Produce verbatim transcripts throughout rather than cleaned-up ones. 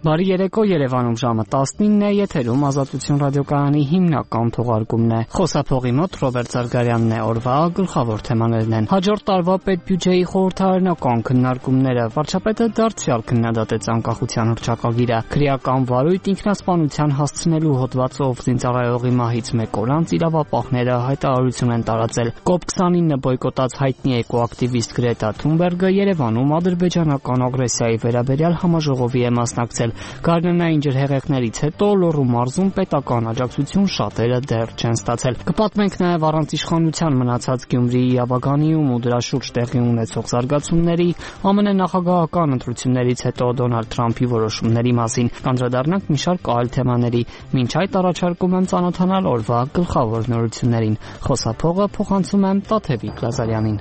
Բարի երեկո, Երևանում ժամը տասնինն է, եթերում Ազատություն ռադիոկայանի հիմնական թողարկումն է։ Խոսափողի մոտ Ռոբերտ Զարգարյանն է, օրվա գլխավոր թեմաներն են։ Հաջորդ տարվա պետբյուջեի խորհրդարանական քննարկումները, վարչապետը դարձյալ քննադատեց անկախության հռչակագիրը, քրեական վարույթ ինքնասպանության հասցնելու հոդվածով զինծառայողի մահից մեկ օր անց իրավապահները հայտարարություն են տարածել։ կոպ քսանինը բոյկոտած հայտնի էկոակտիվիստ Գրետա Թունբերգը Երևանում ադրբեջանական ագրեսիայի վերաբերյալ համաժողովի է մասնակցել։ Գարնանային ջրհեղեղներից հետո Լոռու մարզում պետական աջակցություն շատերը դեռ չեն ստացել։ Կպատմենք նաև առանց իշխանության մնացած Գյումրիի Աբագանիում ու դրա շուրջ տեղի ունեցող զարգացումների, ԱՄՆ նախագահական ընտրություններից հետո Դոնալդ Թրամփի որոշումների մասին։ Կանդրադառնանք մի շարք այլ թեմաների։ Մինչ այդ առաջարկում եմ ծանոթանալ օրվա գլխավոր նորություններին։ Խոսափողը փոխանցում եմ Տաթևիկ Լազարյանին։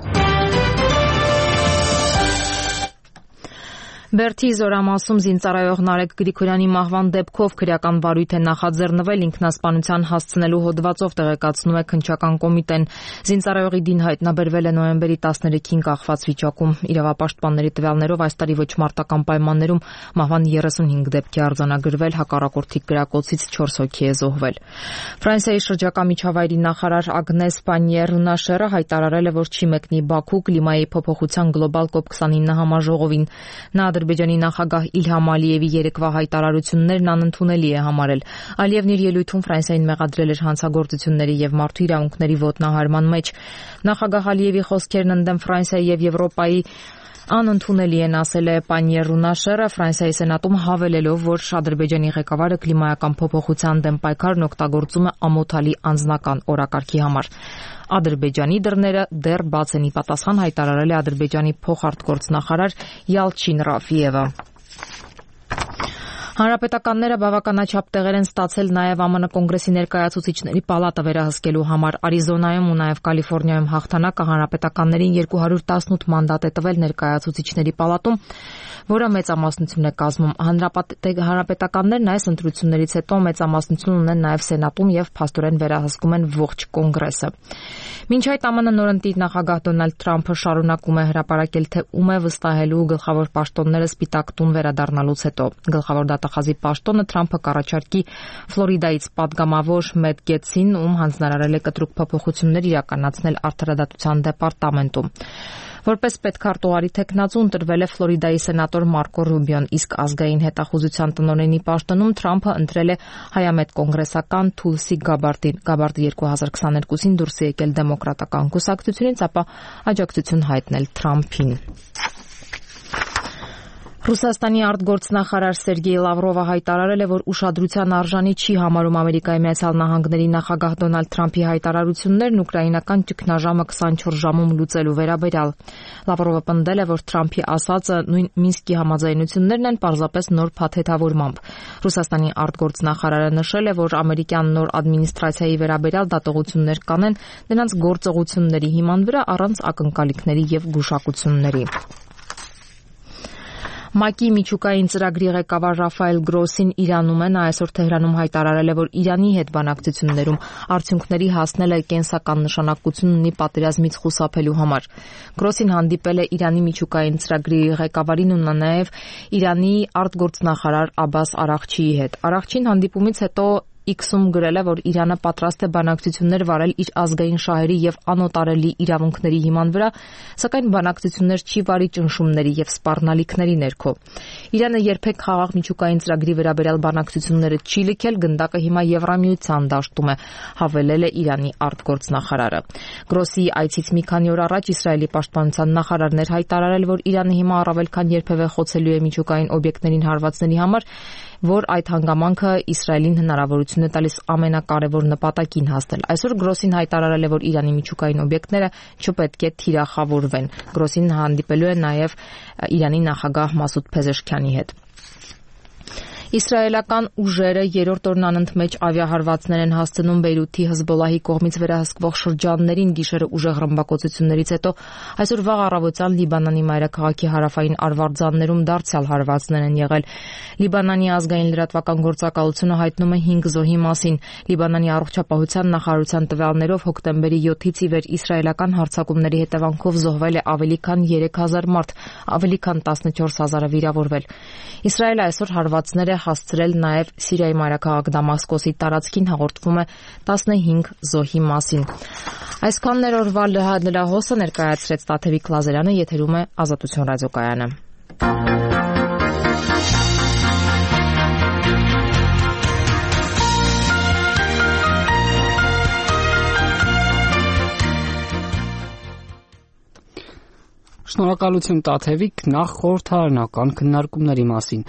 Բերդի Զորամասում զինծառայող Նարեկ Գրիգորյանի մահվան դեպքով քրեական վարույթ է նախաձեռնվել ինքնասպանության հասցնելու հոդվածով, տեղեկացնում է քննչական կոմիտեն։ Զինծառայողի դին հայտնաբերվել է նոյեմբերի տասներեքին կախված վիճակում։ Իրավապաշտպանների տվյալներով այս տարի ոչ մարտական պայմաններում մահվան երեսունհինգ դեպք է արձանագրվել, հակառակորդի կրակոցից չորս հոգի է զոհվել։ Ֆրանսիայի շրջակա միջավայրի նախարար Ագնես Պանիեր-Ռունաշերը հայտարարել է, որ չի մեկնի Բաքու կլիմայի փոփոխության գլոբալ կոպ քսանինը համաժողովին։ Նա Ադրբեջանի նախագահ Իլհամ Ալիևի երեկվա հայտարարություններն անընդունելի է համարել։ Ալիևն իր ելույթում Ֆրանսիային մեղադրել էր հանցագործությունների եւ մարդու իրավունքների ոտնահարման մեջ։ Նախագահ Ալիևի խոսքերն ընդդեմ Ֆրանսիայի եւ Եվրոպայի անընդունելի են, ասել է Պանիեր-Ռունաշերը Ֆրանսիայի սենատում, հավելելով, որ Ադրբեջանի ղեկավարը կլիմայական փոփոխության դեմ պայքարն օգտագործում է ամոթալի անձնական օրակարգի համար։ Ադրբեջանի դռները դեռ բաց են, ի պատասխան հայտարարել է Ադրբեջանի փոխարտգործնախարար Յալչին Ռաֆիևը։ Հանրապետականները բավականաչափ տեղեր են ստացել նաև ԱՄՆ կոնգրեսի ներկայացուցիչների պալատը վերահսկելու համար։ Արիզոնայում ու նաև Կալիֆոռնիայում հաղթանակը հանրապետականներին երկու հարյուր տասնութ մանդատ է տվել ներկայացուցիչների պալատում, որը մեծամասնություն է կազմում։ Հանրապետականներն այս ընտրություններից հետո մեծամասնություն ունեն նաև Սենատում եւ փաստորեն վերահսկում են ողջ կոնգրեսը։ Մինչ այդ ԱՄՆ նորընտիր նախագահ Դոնալդ Թրամփը շարունակում է հրապարակել, թե ում է վստահելու գլխավոր պաշտոնները Սպիտակ տուն վերադառնալուց հետո։ Գլխավոր դատախազի պաշտոնը Թրամփը կառաջարկի Ֆլորիդայից պատգամավոր Մեթ Գեթսին, ում հանձնարարել է կտրուկ փոփոխություններ իրականացնել արդարադատության դեպարտամենտում։ Որպես պետքարտուղարի թեկնածու ընտրվել է Ֆլորիդայի սենատոր Մարկո Ռուբիոն, իսկ ազգային հետախուզության տնօրենի պաշտոնում Թրամփը ընտրել է հայամետ կոնգրեսական Թուլսի Գաբարդին։ Գաբարդը երկու հազար քսաներկուսին դուրս է եկել դեմոկրատական կուսակցությունից, ապա աջակցություն հայտնել Թրամփին։ Ռուսաստանի արտգործնախարար Սերգեյ Լավրովը հայտարարել է, որ ուշադրության արժանի չի համարում Ամերիկայի Միացյալ Նահանգների նախագահ Դոնալդ Թրամփի հայտարարություններն ուկրաինական ճգնաժամը քսանչորս ժամում լուծելու վերաբերյալ։ Լավրովը պնդել է, որ Թրամփի ասածը նույն Մինսկի համաձայնություններն են, պարզապես նոր փաթեթավորմամբ։ Ռուսաստանի արտգործնախարարը նշել է, որ ամերիկյան նոր ադմինիստրացիայի վերաբերյալ դատողություններ կանեն նրանց գործողությունների հիման վրա առանց ակնկալիքների եւ գուշակությունների։ ՄԱԿ-ի միջուկային ծրագրի ղեկավար Ռաֆայել Գրոսին Իրանում է, նա այսօր Թեհրանում հայտարարել է, որ Իրանի հետ բանակցություններում արդյունքների հասնելը կենսական նշանակություն ունի պատերազմից խուսափելու համար։ Գրոսին հանդիպել է Իրանի միջուկային ծրագրի ղեկավարին ու նաև Իրանի արտգործնախարար Աբբաս Արաղչիի հետ։ Արաղչին հանդիպումից հետո X-ում գրել է, որ Իրանը պատրաստ է բանակցություններ վարել իր ազգային շահերի եւ անօտարելի իրավունքների հիման վրա, սակայն բանակցություններ չի վարի ճնշումների եւ սպառնալիքների ներքո։ Իրանը երբեք խաղաղ միջուկային ծրագրի վերաբերյալ բանակցությունները չի լքել, գնդակը հիմա Եվրամիության դաշտում է, հավելել է Իրանի արտգործնախարարը։ Գրոսի այցից մի քանի օր առաջ Իսրայելի պաշտպանության նախարարն էր հայտարարել, որ Իրանը հիմա առավել քան երբևէ խոցելու է միջուկային օբյեկտներին հարվածների համար, որ այդ հանգամանքը Իսրայելին հնարավորություն է տալիս ամենակարևոր նպատակին հասնել։ Այսօր Գրոսին հայտարարել է, որ Իրանի միջուկային օբյեկտները չպետք է թիրախավորվեն։ Գրոսին հանդիպելու է նաև Իրանի նախագահ Մասուդ Փեզեշքյանի հետ։ Իսրայելական ուժերը երրորդ օրն անընդմեջ ավիահարվածներ են հասցնում Բեյրութի Հեզբոլլահի կողմից վերահսկվող շրջաններին գիշերը ուժեղ ռմբակոծություններից հետո այսօր վաղ առավոտյան Լիբանանի մայրաքաղաքի հարավային արվարձաններում դարձյալ հարվածներ են եղել։ Լիբանանի ազգային լրատվական գործակալությունը հայտնում է հինգ զոհի մասին։ Լիբանանի առողջապահության նախարարության տվյալներով հոկտեմբերի յոթից ի վեր իսրայելական հարձակումների հետևանքով զոհվել է ավելի քան երեք հազար մարդ, ավելի քան տասնչորս հազարը վիրավորվել։ Իսրայելը այսօր հարվածներ է հասցրել նաև Սիրիայի մայրաքաղաք Դամասկոսի տարածքին, հաղորդվում է տասնհինգ զոհի մասին։ Այսքանն էր օրվա լրահոսը, ներկայացրեց Տաթևիկ Լազարյանը, եթերում է Ազատություն ռադիոկայանը։ Շնորհակալություն Տաթևիկ, նախ խորհրդարանական քննարկումների մասին։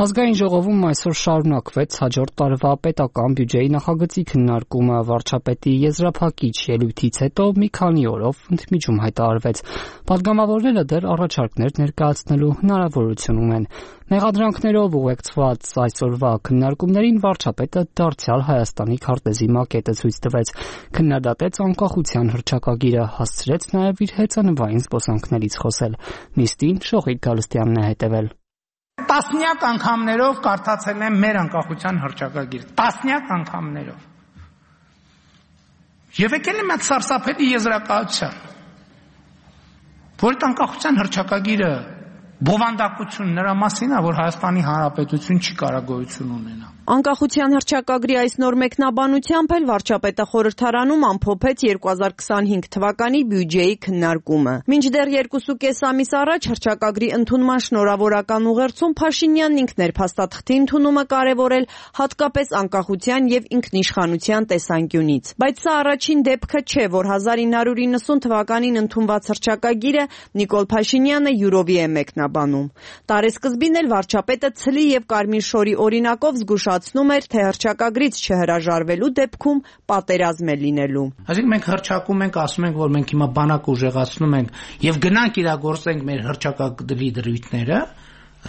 Ազգային ժողովում այսօր շարունակվեց հաջորդ տարվա պետական բյուջեի նախագծի քննարկումը, վարչապետի եզրափակիչ ելույթից հետո մի քանի օրով ընդմիջում հայտարարվեց։ Պատգամավորները դեռ առաջարկներ ներկայացնելու հնարավորություն ունեն։ Մեղադրանքներով ուղեկցված այսօրվա քննարկումներին վարչապետը դարձյալ Հայաստանի քարտեզի մակետը ցույց տվեց, քննադատեց անկախության հռչակագիրը, հասցրեց նաև իր հեծանվային զբոսանքներից խոսել։ Նիստին Շողիկ Գալստյանն է հետևել։ Տասնյակ անգամներով կարդացել եմ մեր անկախության հռչակագիրը, տասնյակ անգամներով։ Եվ եկել եմ այդ սարսափելի եզրակացության, որ այդ անկախության հռչակագիրը բովանդակություն նրա մասին է, որ Հայաստանի Հանրապետություն չի կարող գոյություն ունենա։ Անկախության հռչակագրի այս նոր մեկնաբանությամբ էլ վարչապետը խորհրդարանում ամփոփեց երկու հազար քսանհինգ թվականի բյուջեի քննարկումը։ Մինչդեռ երկուսուկես ամիս առաջ հռչակագրի ընդունման շնորհավորական ուղերձում Փաշինյանն ինքն էր փաստաթղթի ընդունումը կարևորել հատկապես անկախության եւ ինքնիշխանության տեսանկյունից։ Բայց սա առաջին դեպքը չէ, որ հազար ինը հարյուր իննսուն թվականին ընդունված հռչակագիրը Նիկոլ Փաշինյանը յուրովի է մեկնաբանում։ Տարեսկզբին էլ վարչապետը ցլի եւ կարմիր շորի օրինակով զգուշացնում էր, թե հռչակագրից չհրաժարվելու դեպքում պատերազմ է լինելու։ Այսինքն մենք հռչակում ենք, ասում ենք, որ մենք հիմա բանակ ուժեղացնում ենք եւ գնանք իրագործենք մեր հռչակագրի դրույթները,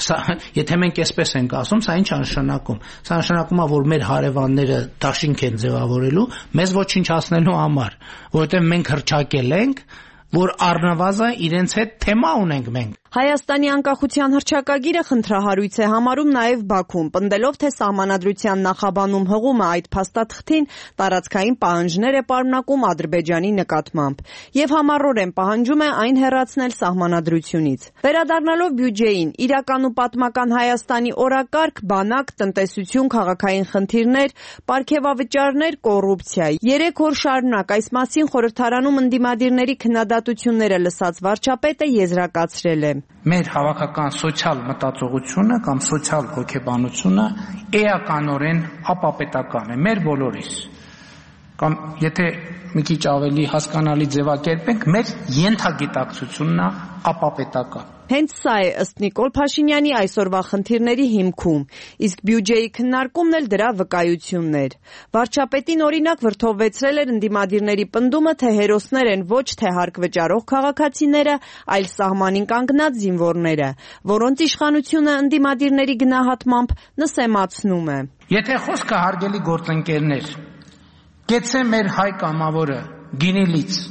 սա եթե մենք այսպես ենք ասում, սա ինչ է նշանակում։ Սա նշանակում է, որ մեր հարևանները դաշինք են ձևավորելու մեզ ոչնչացնելու համար, որովհետեւ մենք հռչակել ենք, որ առնվազն իրենց հետ թեմա ունենք մենք։ Հայաստանի անկախության հռչակագիրը խնդրահարույց է համարում նաև Բաքուն, պնդելով, թե սահմանադրության նախաբանում հղումը այդ փաստաթղթին տարածքային պահանջներ է պարունակում Ադրբեջանի նկատմամբ եւ համառորեն պահանջում է այն հեռացնել սահմանադրությունից։ Վերադառնալով բյուջեին, իրական ու պատմական Հայաստանի օրակարգ, բանակ, տնտեսություն, քաղաքային խնդիրներ, պարգևավճարներ, կոռուպցիա։ Երեք օր շարունակ այս մասին խորհրդարանում ընդդիմադիրների քննադատությունները լսած վարչապետը եզրակացրել է. Մեր հավաքական սոցիալ մտածողությունը կամ սոցիալ հոգեբանությունը էականորեն ապապետական է մեր բոլորիս, կամ եթե մի քիչ ավելի հասկանալի ձևակերպենք, մեր ենթագիտակցությունն է ապապետական։ Հենց սա է ըստ Նիկոլ Փաշինյանի այսօրվա խնդիրների հիմքում, իսկ բյուջեի քննարկումն էլ դրա վկայություններ։ Վարչապետին օրինակ վրդովվեցրել էր ընդդիմադիրների պնդումը, թե հերոսներ են ոչ թե հարկ վճարող քաղաքացիները, այլ սահմանին կանգնած զինվորները, որոնց իշխանությունը ընդդիմադիրների գնահատմամբ նսեմացնում է։ Եթե խոսքը հարգելի գործընկերներ, գեցե մեր հայ կամավորը գինիլից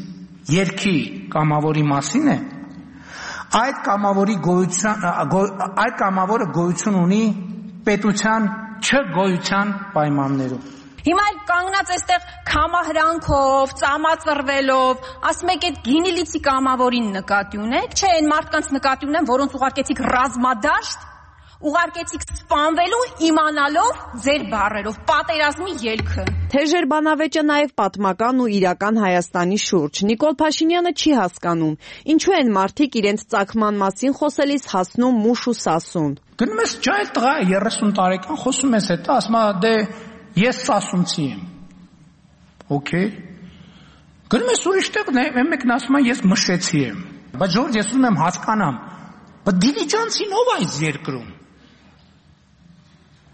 երկի կամավորի մասին է, այդ կամավորի գոյության այդ կամավորը գոյություն ունի պետության չգոյության պայմաններում։ Հիմա էլ կանգնած այստեղ քամահրանքով, ծամածրվելով, ասում եք այդ գինիլիցի կամավորին նկատի ունեք, չէ, այն մարդկանց նկատի ունեմ, որոնց ուղարկեցիք ռազմադաշտ, ուղարկեցիք սպանվելու իմանալով ձեր բառերով պատերազմի ելքը։ Թեժեր բանավեճը նաև պատմական ու իրական Հայաստանի շուրջ։ Նիկոլ Փաշինյանը չի հասկանում, ինչու են մարդիկ իրենց ծագման մասին խոսելիս հասնում մուշ ու սասուն։ Գնում ես ջայլ տղա երեսուն տարեկան խոսում ես հետո, ասում է դե ես սասունցի եմ։ Okay։ Գնում ես ուրիշտեղ, մեկն ասում է ես մշեցի եմ։ Բայց Ժորժ, ես ուզում եմ հասկանամ, բայց դիլիջանցին ով այս երկրում։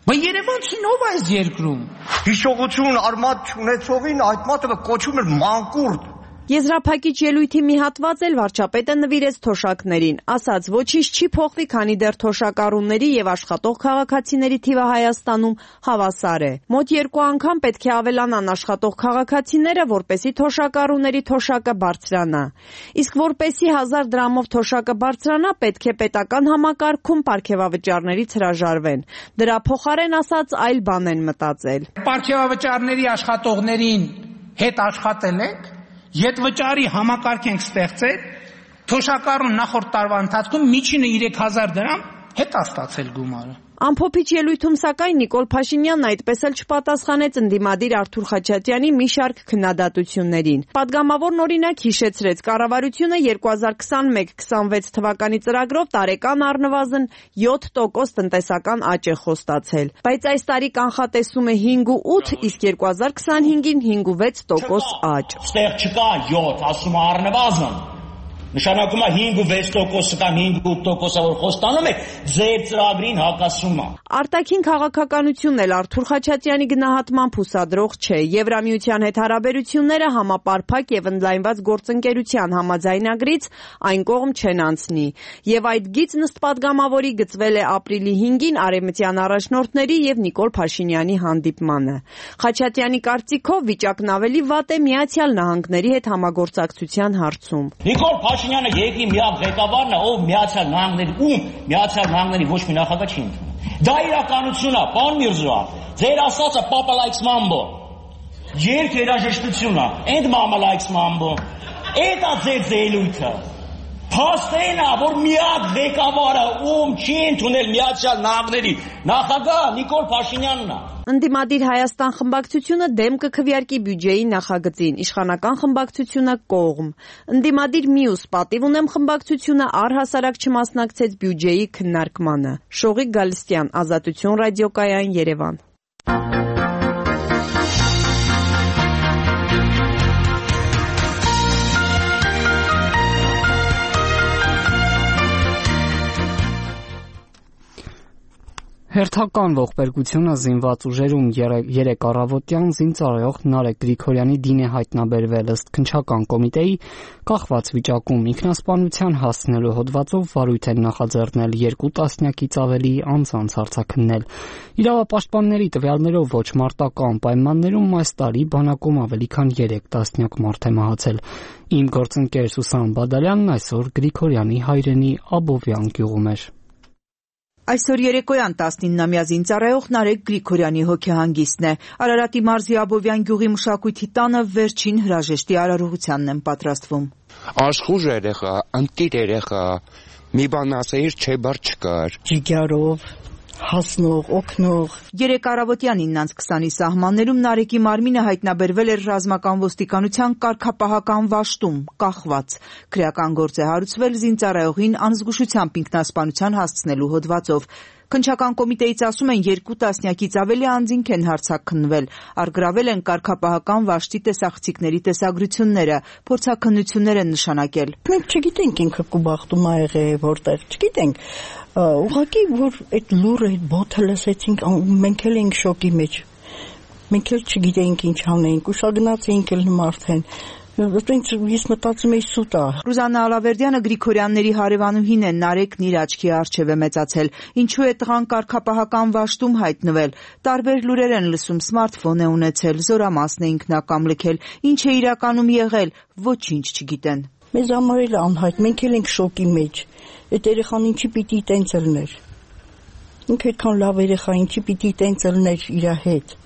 Բայց Երևանցին ով է այս երկրում։ Հիշողություն արմատ չունեցողին այդ մարդը կոչում էր մանկուրտ։ Եզրափակիչ ելույթի մի հատված էլ վարչապետը նվիրեց թոշակներին, ասաց, ոչինչ չի փոխվի, քանի դեռ թոշակառուների եւ աշխատող քաղաքացիների թիվը Հայաստանում հավասար է։ Մոտ երկու անգամ պետք է ավելանան աշխատող քաղաքացիները, որպեսզի թոշակառուների թոշակը բարձրանա։ Իսկ որպեսզի հազար դրամով թոշակը բարձրանա, պետք է պետական համակարգում պարգևավճարներից հրաժարվեն։ Դրա փոխարեն ասաց այլ բան են մտածել։ Պարգևավճարների աշխատողներին հետ աշխատել եք, ետվճարի համակարգ ենք ստեղծել, թոշակառուն նախորդ տարվա ընթացքում միջինը երեք հազար դրամ հետ է ստացել գումարը։ Ամփոփիչ ելույթում սակայն Նիկոլ Փաշինյանն այդպես էլ չպատասխանեց ընդդիմադիր Արթուր Խաչատյանի մի շարք քննադատություններին։ Պատգամավորն օրինակ հիշեցրեց, կառավարությունը երկու հազար քսանմեկ քսանվեց թվականի ծրագրով տարեկան առնվազն յոթ տոկոս տնտեսական աճ է խոստացել, բայց այս տարի կանխատեսում է հինգ ու ութ, իսկ երկու հազար քսանհինգին հինգ ու վեց տոկոս աճ։ Ստեղ չկա յոթ, ասում առնվազն նշանակում է հինգ ու վեց տոկոսը կամ հինգ ու ութ տոկոսը, որ խոստանում եք, ձեր ծրագրին հակասում է։ Արտաքին քաղաքականությունն էլ Արթուր Խաչատյանի գնահատմամբ հուսադրող չէ։ Եվրամիության հետ հարաբերությունները համապարփակ եւ ընդլայնված գործընկերության համաձայնագրից այն կողմ չեն անցնի։ Եվ այդ գիծն ըստ պատգամավորի գծվել է ապրիլի հինգին արևմտյան առաջնորդների եւ Նիկոլ Փաշինյանի հանդիպմանը։ Խաչատյանի կարծիքով վիճակն ավելի վատ է Միացյալ Նահանգների հետ համագործակցության հարցում։ Նիկոլ Փաշինյանը երկրի միակ ղեկավարն է, ով Միացյալ Նահանգների ում Միացյալ Նահանգների ոչ մի նախագահ չի ընդունում։ Դա իրականությունն է, պարոն Միրզոյան։ Ձեր ասածը Papa likes mambo։ Երկ երաժշտություն է, and mama likes mambo։ Էդ է ձեր զելույթը։ Փաստեն է, որ միակ ղեկավարը ում չի ընդունել Միացյալ Նահանգների նախագահ Նիկոլ Փաշինյանն է։ Ընդդիմադիր Հայաստան խմբակցությունը դեմ կքվեարկի բյուջեի նախագծին, իշխանական խմբակցությունը կողմ։ Ընդդիմադիր մյուս պատիվ ունեմ խմբակցությունը առհասարակ չմասնակցեց բյուջեի քննարկմանը։ Շողիկ Գալստյան, Ազատություն ռադիոկայան, Երևան։ Հերթական ողբերգությունը զինված ուժերում երեք առավոտյան զինծառայող Նարեկ Գրիգորյանի դին է հայտնաբերվել ըստ քննչական կոմիտեի կախված վիճակում ինքնասպանության հասցնելու հոդվածով վարույթ են նախաձեռնել երկու տասնյակից ավելի անձանց արձակնել։ Իրավապաշտպանների տվյալներով ոչ մարտական պայմաններում այս տարի բանակում ավելի քան երեք տասնյակ մարդ է մահացել։ Իմ գործընկեր Սուսան Բադալյանն այսօր Գրիգորյանի հայրենի Աբովյան գյուղում էր։ Այսօր երեկոյան տասնիննամյա զինծառայող Նարեկ Գրիգորյանի հոգեհանգիստն է։ Արարատի մարզի Աբովյան գյուղի մշակույթի տանը վերջին հրաժեշտի արարողությանն են պատրաստվում։ Աշխուժ երեխա, ընտիր երեխա, մի բան ասեիր, չէ բար չկար։ Ջիգարով հասնող, օգնող։ Երեք առավոտյան իննանց քսանի սահմաններում Նարեկի մարմինը հայտնաբերվել էր ռազմական ոստիկանության կարգապահական վաշտում, կախված։ Քրեական գործ է հարուցվել զինծառայողին անզգուշությամբ ինքնասպանության հասցնելու հոդվածով։ Քննչական կոմիտեից ասում են երկու տասնյակից ավելի անձինք են հարձակքնվել, առգրավել են կարգապահական վաշտի տեսախցիկների տեսագրությունները, փորձաքննություններ են նշանակել։ Մենք չգիտենք ինքը կուբախտում ա եղել որտեղ, չգիտենք։ Ուղղակի որ այդ լուրը, այդ բոթը լսեցինք, մենք էլ ենք շոկի մեջ։ Մենք էլ չգիտենք ինչ անենք, ուշագնաց էինք էլ մարդեն։ Ես մտածում էի սուտ է։ Ռուզաննա Ալավերդյանը Գրիգորյանների հարևանուհին է, Նարեկն իր աչքի առջև է մեծացել։ Ինչու է տղան կարգապահական վաշտում հայտնվել։ Տարբեր լուրեր են լսում, սմարթֆոն է ունեցել, զորամասն է ինքնակամ լքել։ Ինչ է իրականում եղել, ոչինչ չգիտեն։ Մեզ համար էլ անհայտ, մենք էլ ենք շոկի մեջ։ Այդ երեխան ինչի պիտի տենց ելներ։ Ինքը այդքան լավ երեխա, ինչի պիտի տենց ելներ իր հետ։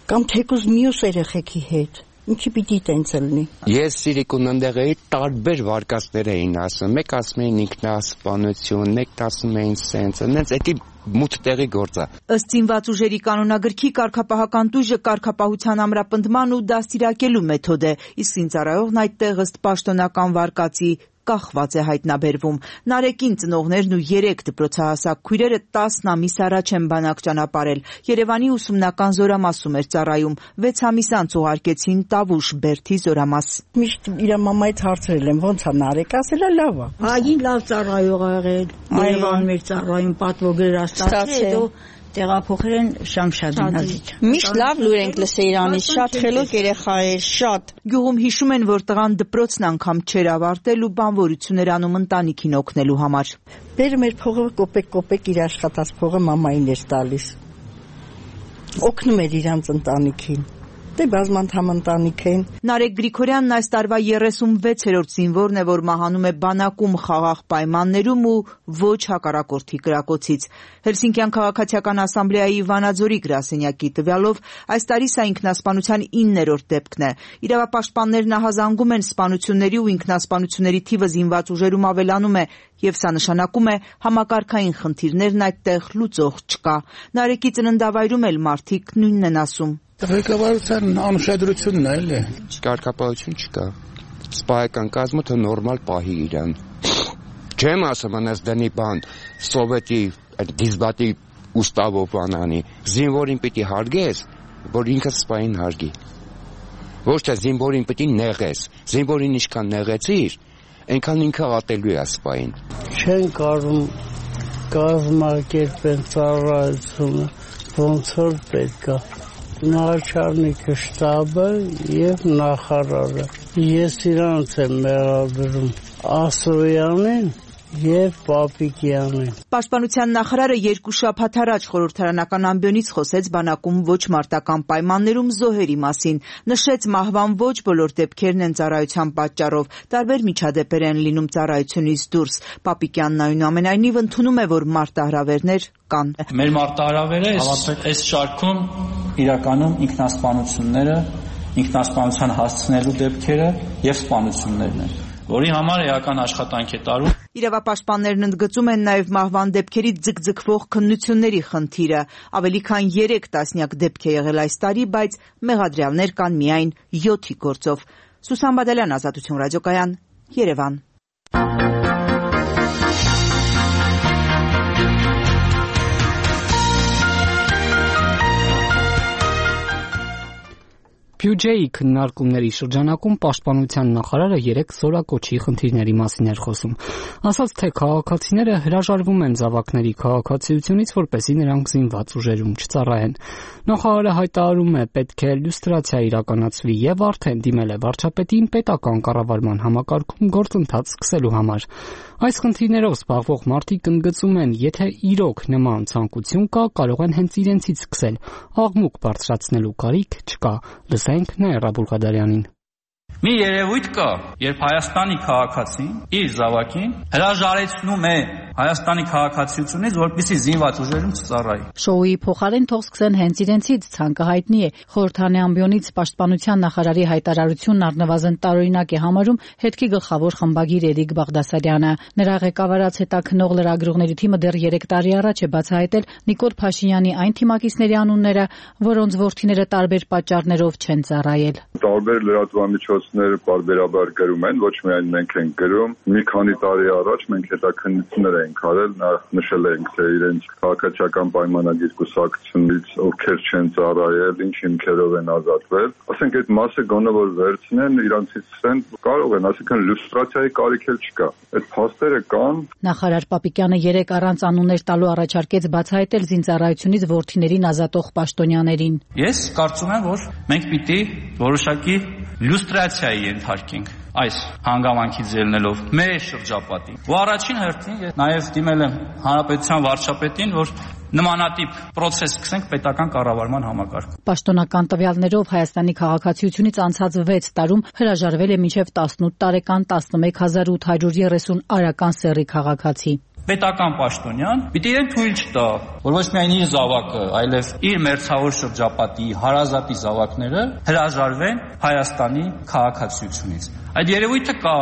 Կամ թեկուզ մյուս երեխեքի հետ։ Ինչի պիտի տենց լինի։ Ես Սիրիկուն ընդեղ էի, տարբեր վարկածներ էին ասում, մեկ ասում էին ինքնասպանություն, մեկ ասում էին սենց, նենց էդի մութ տեղի գործ է։ Ըստ զինված ուժերի կանոնագրքի կարգապահական տույժը կարգապահության ամրապնդման ու դաստիարակելու մեթոդ է, իսկ զինծառայողն այդտեղ ըստ պաշտոնական վարկածի կախված է հայտնաբերվում։ Նարեկին ծնողներն ու երեք դպրոցահասակ քույրերը տասն ամիս առաջ են բանակ ճանապարհել։ Երևանի ուսումնական զորամասում էր ծառայում։ վեց ամիս անց ուղարկեցին Տավուշ Բերդի զորամաս։ Միշտ իր մամայից հարցրել եմ, ո՞նց է Նարեկ, ասել է լավ է։ Ահագին լավ ծառայող ա եղել։ Երևանում էր ծառայում, պատվոգրեր ստացել, հետո Տեղափոխել են Շամշադ գիմնազիա։ Միշտ լավ լուր ենք լսել Իրանից, շատ խելոք երեխա էր, շատ։ Գյուղում հիշում են, որ տղան դպրոցն անգամ չէր ավարտել ու բանվորություններ անում ընտանիքին օգնելու համար։ Բերում էր փողը կոպեկ-կոպեկ իր աշխատած փողը մամային էր տալիս։ Օգնում էր իրանց ընտանիքին։ Դե բազմանդամ ընտանիք են։ Նարեկ Գրիգորյանն այս տարվա երեսունվեցերորդ զինվորն է, որ մահանում է բանակում խաղաղ պայմաններում ու ոչ հակառակորդի կրակոցից։ Հելսինկյան քաղաքացիական ասամբլեայի Վանաձորի գրասենյակի տվյալով այս տարի սա ինքնասպանության իններորդ դեպքն է։ Իրավապաշտպաններն ահազանգում են սպանությունների ու ինքնասպանությունների թիվը զինված ուժերում ավելանում է, եւ սա նշանակում է համակարգային խնդիրներն այդտեղ լուծող չկա։ Նարեկի ծննդավայրում էլ մարդիկ նույնն են ասում։ Ղեկավարության անուշադրությունն է, էլի։ Կարգապահություն չկա։ Սպայական կազմը թե նորմալ պահի իրան։ Չեմ ասում անես դնի բան, սովետի դիզբատի ուստավով անանի, զինվորին պիտի հարգես, որ ինքը սպային հարգի։ Ոչ թե զինվորին պիտի նեղես, զինվորին ինչքան նեղեցիր, այնքան ինքը ատելու է սպային։ Չեն կարում կազմակերպեն ծառայությունը, ոնց որ պետք է։ Նախարարնիկը շտաբը եւ նախարարը։ Ես իրանց եմ մեղադրում Ասոյանին եւ Պապիկյանին։ Պաշտպանության նախարարը երկու շաբաթ առաջ խորհրդարանական ամբիոնից խոսեց բանակում ոչ մարտական պայմաններում զոհերի մասին, նշեց մահվան ոչ բոլոր դեպքերն են ծառայության պատճառով, տարբեր միջադեպեր են լինում ծառայությունից դուրս։ Պապիկյանն այնուամենայնիվ ընդունում է, որ մարտահրավերներ կան։ Մեր մարտահրավերը այս շարքում իրականում ինքնասպանությունները, ինքնասպանության հասցնելու դեպքերը եւ սպանություններն են, որի համար էական աշխատանք է տարում։ Իրավապաշտպաններն ընդգծում են նաև մահվան դեպքերի ձգձգվող քննությունների խնդիրը։ Ավելի քան երեք տասնյակ դեպք է եղել այս տարի, բայց մեղադրյալներ կան միայն յոթի գործով։ Սուսան Բադալյան, Ազատություն ռադիոկայան, Երևան։ Բյուջեի քննարկումների շրջանակում պաշտպանության նախարարը երեք զորակոչի խնդիրների մասին էր խոսում։ Ասաց, թե քաղաքացիները հրաժարվում են զավակների քաղաքացիությունից, որպեսզի նրանք զինված ուժերում չծառայեն։ Նախարարը հայտարարում է, պետք է լյուստրացիա իրականացվի եւ արդեն դիմել է վարչապետին պետական կառավարման համակարգում գործընթաց սկսելու համար։ Այս խնդիրներով զբաղվող մարդիկ ընդգծում են, եթե իրոք նման ցանկություն կա, կարող են հենց իրենցից սկսել։ Աղմուկ բարձրացնելու կարիք չկա։ Լսենք Նաիրա Բուլղադարյանին։ Մի երևույթ կա, երբ Հայաստանի քաղաքացին իր զավակին հրաժարեցնում է Հայաստանի քաղաքացիությունից, որպեսզի զինված ուժերում չծառայի։ Շոուի փոխարեն թող սկսեն հենց իրենցից, ցանկը հայտնի է։ Խորհրդանի ամբիոնից պաշտպանության նախարարի հայտարարությունն առնվազն տարօրինակ է համարում հետքի գլխավոր խմբագիր Էրիկ Բաղդասարյանը։ Նրա ղեկավարած հետաքննող լրագրողների թիմը դեռ երեք տարի առաջ է բացահայտել Նիկոլ Փաշինյանի այն թիմակիցների անունները, որոնց որդիները տարբեր պատճառներով չեն ծառայել։ Տարբեր լրատվամիջոցները պարբերաբար գրում են, ոչ միայն մենք ենք գրում։ Մի քանի տարի առաջ մենք հետաքննություններ ենք արել, նախ նշել ենք, թե իրենց քաղաքացիական պայմանագիր կուսակցությունից ովքեր չեն ծառայել, ինչ հիմքերով են ազատվել։ Ասենք այդ մասը գոնե որ վերցնեն, իրանցից ցեն կարող են, ասենք լյուստրացիայի կարիք էլ չկա։ Այդ փաստերը կան։ Նախարար Պապիկյանը երեք առանց անուններ տալու առաջարկեց բացահայտել զինծառայությունից որդիներին ազատող պաշտոնյաներին։ Ես կարծում եմ, որ մենք պիտի որոշակի լյուստրացիայի ենթարկենք այս հանգամանքից ելնելով մեր շրջապատին։ Ու առաջին հերթին ես նաև դիմել եմ հանրապետության վարչապետին, որ նմանատիպ process սկսենք պետական կառավարման համակարգում։ Պաշտոնական տվյալներով Հայաստանի քաղաքացիությունից անցած վեց տարում հրաժարվել է մինչև տասնութ տարեկան տասնմեկ հազար ութ հարյուր երեսուն արական սեռի քաղաքացի։ Պետական պաշտոնյան պիտի իրեն թույլ չտա, որ ոչ միայն իր զավակը, այլև իր մերձավոր շրջապատի հարազատի զավակները հրաժարվեն Հայաստանի քաղաքացիությունից։ Այդ երևույթը կա,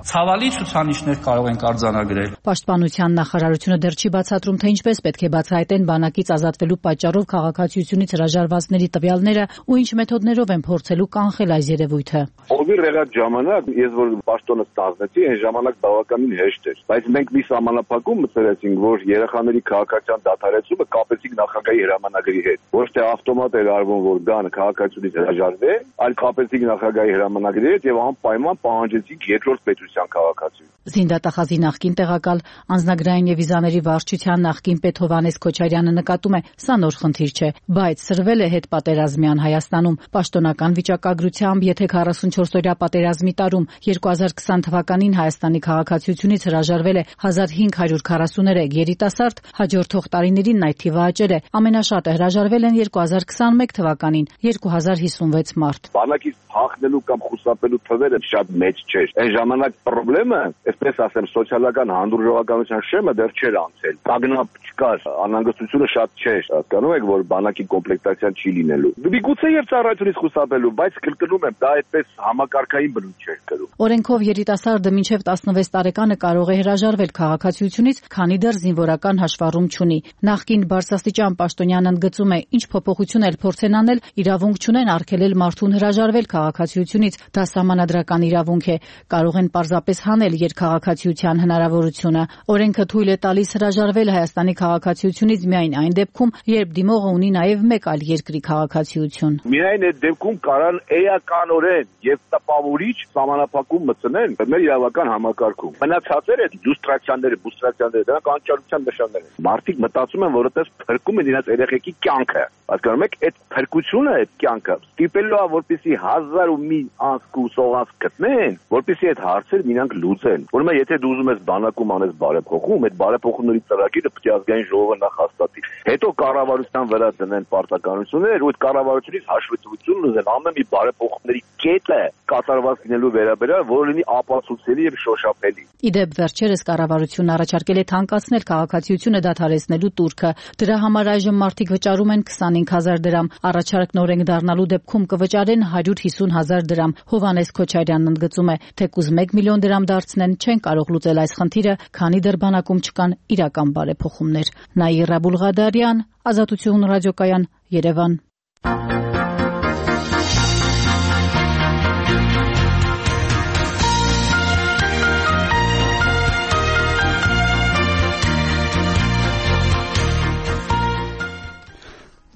ցավալի ցուցանիշներ կարող ենք արձանագրել։ Պաշտպանության նախարարությունը դեռ չի բացատրում, թե ինչպես պետք է բացահայտեն բանակից ազատվելու պատճառով քաղաքացիությունից հրաժարվածների տվյալները ու ինչ մեթոդներով են փորձելու կանխել այս երևույթը։ Ովի եղած ժամանակ, ես որ պաշտոնը ստանձնեցի, այն ժամանակ բավականին հեշտ էր, բայց մենք մի սահմանափակում մտցրեցինք, որ երեխաների քաղաքացիական դադարեցումը կապեցինք նախագահի հրամանագրի հետ։ Ոչ թե ավտոմատ էր արվում, որ դան քաղաքացիությունից հրաժարվի, այլ կապեցինք նախագահի հրամանագրի հետ եւ անպայման պահանջեցինք երկրորդ պետ ազդեցության քաղաքացիություն։ Զինդատախազի նախկին տեղակալ անձնագրային եւ վիզաների վարչության նախկին պետ Հովհաննես Քոչարյանը նկատում է, սա նոր խնդիր չէ, բայց սրվել է հետպատերազմյան Հայաստանում։ Պաշտոնական վիճակագրությամբ, եթե քառասունչորսօրյա պատերազմի տարում երկու հազար քսան թվականին Հայաստանի քաղաքացիությունից հրաժարվել է հազար հինգ հարյուր քառասուներեք երիտասարդ, հաջորդող տարիներին այդ թիվը աճել է։ Ամենաշատը հրաժարվել են երկու հազար քսանմեկ թվականին երկու հազար հիսունվեց մարդ։ Բանակից փախնելու կամ խուսափելու թվերը շատ մեծ չէր։ Այն ժամանակ խնդրեմը, այսպես ասեմ, սոցիալական հանդուրժողականության շեմը դեռ չէր անցել։ Տագնապ չկար, անհանգստությունը շատ չէր։ Հասկանում եք, որ բանակի կոմպլեկտացիան չի լինելու։ Միգուցե եւ ծառայությունից խուսափելու, բայց կրկնում եմ, դա այդպես համակարգային բնույթ չէր կրում։ Օրենքով երիտասարդը մինչև տասնվեց տարեկանը կարող է հրաժարվել քաղաքացիությունից, քանի դեռ զինվորական հաշվառում չունի։ Նախկին բարձրաստիճան պաշտոնյանն ընդգծում է, ինչ փոփոխություն էլ փորձեն անել, իրավունք չունեն արգելել մարդուն հրաժարվել քաղաքացիությունից, դա սահմանադրական իրավունք է, կարող են պարզապես հանել երկքաղաքացիության հնարավորությունը։ Օրենքը թույլ է տալիս հրաժարվել Հայաստանի քաղաքացիությունից միայն այն դեպքում, երբ դիմողը ունի նաև մեկ այլ երկրի քաղաքացիություն։ Միայն այդ դեպքում կարան էականորեն եւ տպավորիչ սահմանափակում մտցնել մեր իրավական համակարգում։ Մնացածերը լյուստրացիաները, բուստրացիաները, դրանք անճարության նշաններ են։ Մարդիկ մտածում են, որ այդպես փրկում են իրենց երեխեքի կյանքը։ Հասկանում եք, այդ փրկությունը, այդ կյանքը ստիպելու է, որպեսզի հազար ու մի անցք ու սողանց գտնեն, որպեսզի այդ հարցերը մինանք լուծեն։ Ուրեմն եթե դու ուզում ես բանակում անես բարեփոխում, այդ բարեփոխումների ծրագիրը պետք է ազգային ժողովը նախ հաստատի։ Հետո կառավարության վրա դնեն պարտականություններ, ու այդ կառավարությունից հաշվետվություն ուզեն ամեն մի բարեփոխումների կետը կատարված լինելու վերաբերյալ, որը լինի ապացուցելի եւ շոշափելի։ Իդեպ վերջերս կառավարությունն առաջարկել է թանկացնել քաղաքացիությունը դադարեցնելու տուրքը։ Դրա համար այժմ մարդիկ վճարում են քսանհինգ հազար դրամ, առաջարկն օրենք դառնալու դեպքում կվճարեն հարյուր հիսուն հազար դրամ։ Հովհաննես Քոչարյանն ընդգծում է, թեկուզ մեկ միլիոն դրամ դարձնեն, չեն կարող լուծել այս խնդիրը, քանի դեռ բանակում չկան իրական բարեփոխումներ։ Նաիրա Բուլղադարյան, Ազատություն ռադիոկայան, Երևան։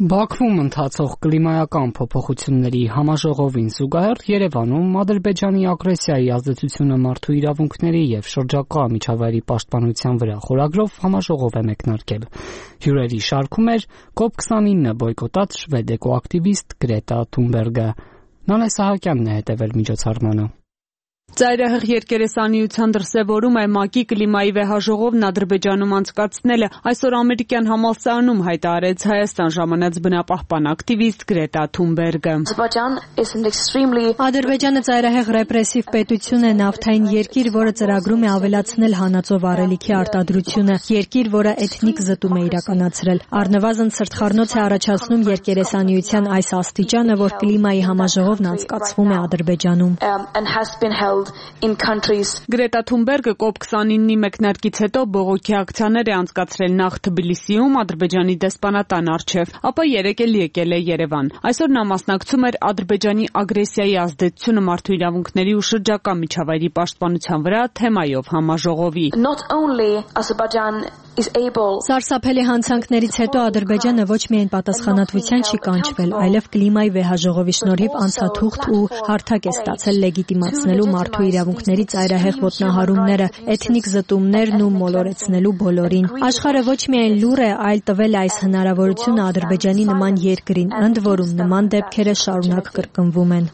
Բաքվում ընթացող կլիմայական փոփոխությունների համաժողովին զուգահեռ Երևանում Ադրբեջանի ագրեսիայի ազդեցությունը մարդու իրավունքների եւ շրջակա միջավայրի պաշտպանության վրա խորագրով համաժողով է մեկնարկել։ Հյուրերի շարքում էր կոպ քսանինը բոյկոտած շվեդ էկոակտիվիստ Գրետա Թունբերգը։ Նանե Սահակյանն է հետևել միջոցառմանը։ Ծայրահեղ երկերեսանիության դրսևորում է ՄԱԿ-ի կլիմայի վեհաժողովն Ադրբեջանում անցկացնելը։ Այսօր ամերիկյան համալսարանում հայտարարեց Հայաստան ժամանած բնապահպան ակտիվիստ Գրետա Թունբերգը։ Ադրբեջանը ծայրահեղ ռեպրեսիվ պետություն է, նավթային երկիր, որը ծրագրում է ավելացնել հանածո վառելիքի արտադրությունը, երկիր, որը էթնիկ զտում է իրականացրել։ Առնվազն սրտխառնոց է առաջացնում երկերեսանիության այս աստիճանը, որ կլիմայի համաժողովն անցկացվում է Ադրբեջանում։ Գրետա Թունբերգը կոպ քսանինի մեկնարկից հետո բողոքի ակցիաներ է անցկացրել նախ Թբիլիսիում Ադրբեջանի դեսպանատան առջև, ապա երեկ էլ եկել է Երևան։ Այսօր նա մասնակցում էր Ադրբեջանի ագրեսիայի ազդեցությունը մարդու իրավունքների ու շրջակա միջավայրի պաշտպանության վրա թեմայով համաժողովի։ Սարսափելի հանցանքներից հետո Ադրբեջանը ոչ միայն պատասխանատվության չի կանչվել, այլև կլիմայի վեհաժողովի շնորհիվ անցաթուղթ ու հարթակ է ստացել լեգիտիմացնելու մարդու իրավունքների ծայրահեղ ոտնահարումները, էթնիկ զտումներն ու մոլորեցնելու բոլորին։ Աշխարհը ոչ միայն լուր է, այլ տվել այս հնարավորությունը Ադրբեջանի նման երկրին, ընդ որում նման դեպքերը շարունակ կրկնվում են։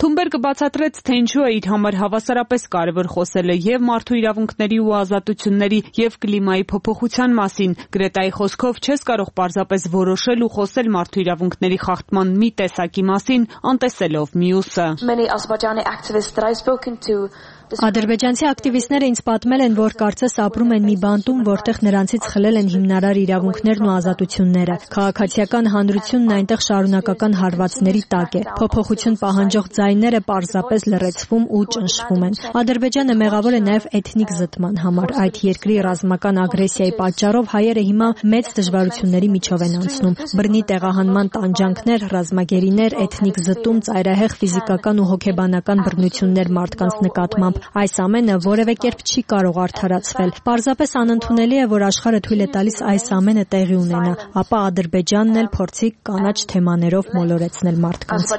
Թունբերգը բացատրեց, թե ինչու է իր համար հավասարապես կարևոր խոսելը եւ մարդու իրավունքների ու ազատությունների եւ կլիմայի փոփոխության մասին։ Գրետայի խոսքով չես կարող պարզապես որոշել ու խոսել մարդու իրավունքների խախտման մի տեսակի մասին, անտեսելով մյուսը։ Ադրբեջանցի ակտիվիստները ինձ պատմել են, որ կարծես ապրում են մի բանտում, որտեղ նրանցից խլել են հիմնարար իրավունքներն ու ազատությունները։ Քաղաքացիական հանրությունն այնտեղ շարունակական հարվածների տակ է։ Փոփոխություն պահանջող ձայները պարզապես լռեցվում ու ճնշվում են։ Ադրբեջանը մեղավոր է նաև էթնիկ զտման համար։ Այդ երկրի ռազմական ագրեսիայի պատճառով հայերը հիմա մեծ դժվարությունների միջով են անցնում։ Բռնի տեղահանման տանջանքներ, ռազմագերիներ, էթնիկ զտում, ծայրահեղ ֆիզիկական ու հոգեբանական բռնություններ մարդկանց նկատմամբ։ Այս ամենը որևէ կերպ չի կարող արդարացվել։ Պարզապես անընդունելի է, որ աշխարհը թույլ է տալիս այս ամենը տեղի ունենա, ապա Ադրբեջանն էլ փորձի կանաչ թեմաներով մոլորեցնել մարդկանց։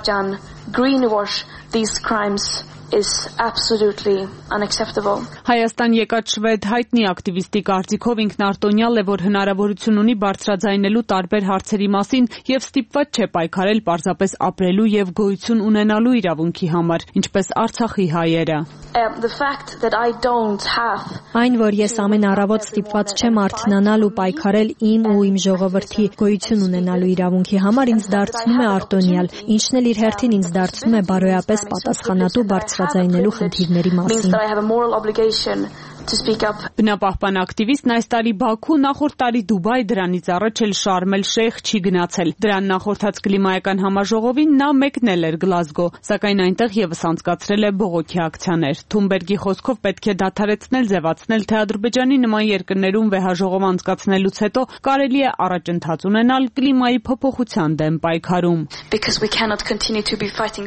Greenwash these crimes is absolutely unacceptable. Հայաստան եկած շվեդ հայտնի ակտիվիստի կարծիքով ինքնարտոնյալ է, որ հնարավորություն ունի բարձրաձայնելու տարբեր հարցերի մասին եւ ստիպված չէ պայքարել պարզապես ապրելու եւ գոյություն ունենալու իրավունքի համար, ինչպես Արցախի հայերը. The fact that I don't have Այն, որ ես ամեն առավոտ ստիպված չեմ արթնանալ ու պայքարել իմ ու իմ ժողովրդի գոյություն ունենալու իրավունքի համար, ինձ դարձնում է արտոնյալ, ինչն էլ իր հերթին ինձ դարձնում է բարոյապես պատասխանատու բարձրաձայնելու խնդիրների մասին։ Բնապահպան ակտիվիստն այս տարի Բաքու, նախորդ տարի Դուբայ, դրանից առաջ էլ Շարմ էլ-Շեյխ չի գնացել։ Դրան նախորդած կլիմայական համաժողովին նա մեկնել էր Գլազգո, սակայն այնտեղ եւս անցկացրել է բողոքի ակցիաներ։ Թունբերգի խոսքով պետք է դադարեցնել ձևացնել, թե Ադրբեջանի նման երկրներում վեհաժողով անցկացնելուց հետո կարելի է առաջընթաց ունենալ կլիմայի փոփոխության դեմ պայքարում։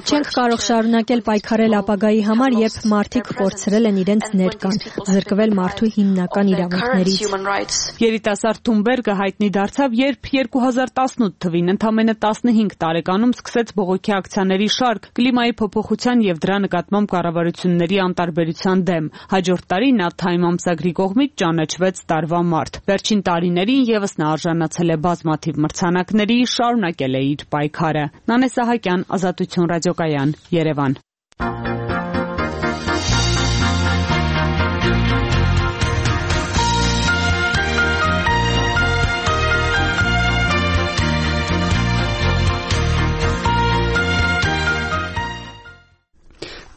Չենք կարող շարունակել պայքարել ապագայի համար, երբ մարդիկ կորցրել են իրենց ներկան, զրկվել մարդու հիմնական իրավունքներից։ Երիտասարդ Թունբերգը հայտնի դարձավ, երբ երկու հազար տասնութ թվին ընդամենը տասնհինգ տարեկանում սկսեց բողոքի ակցիաների շարք կլիմայի փոփոխության եւ դրա նկատմամբ կառավարությունների անտարբերության դեմ։ Հաջորդ տարի նա Time ամսագրի կողմից ճանաչվեց տարվա մարդ։ Վերջին տարիներին եւս նա արժանացել է բազմաթիվ մրցանակների, շարունակել է իր պայքարը։ Նանե Սահակյան, Ազատություն ռադիոկայան, Երևան։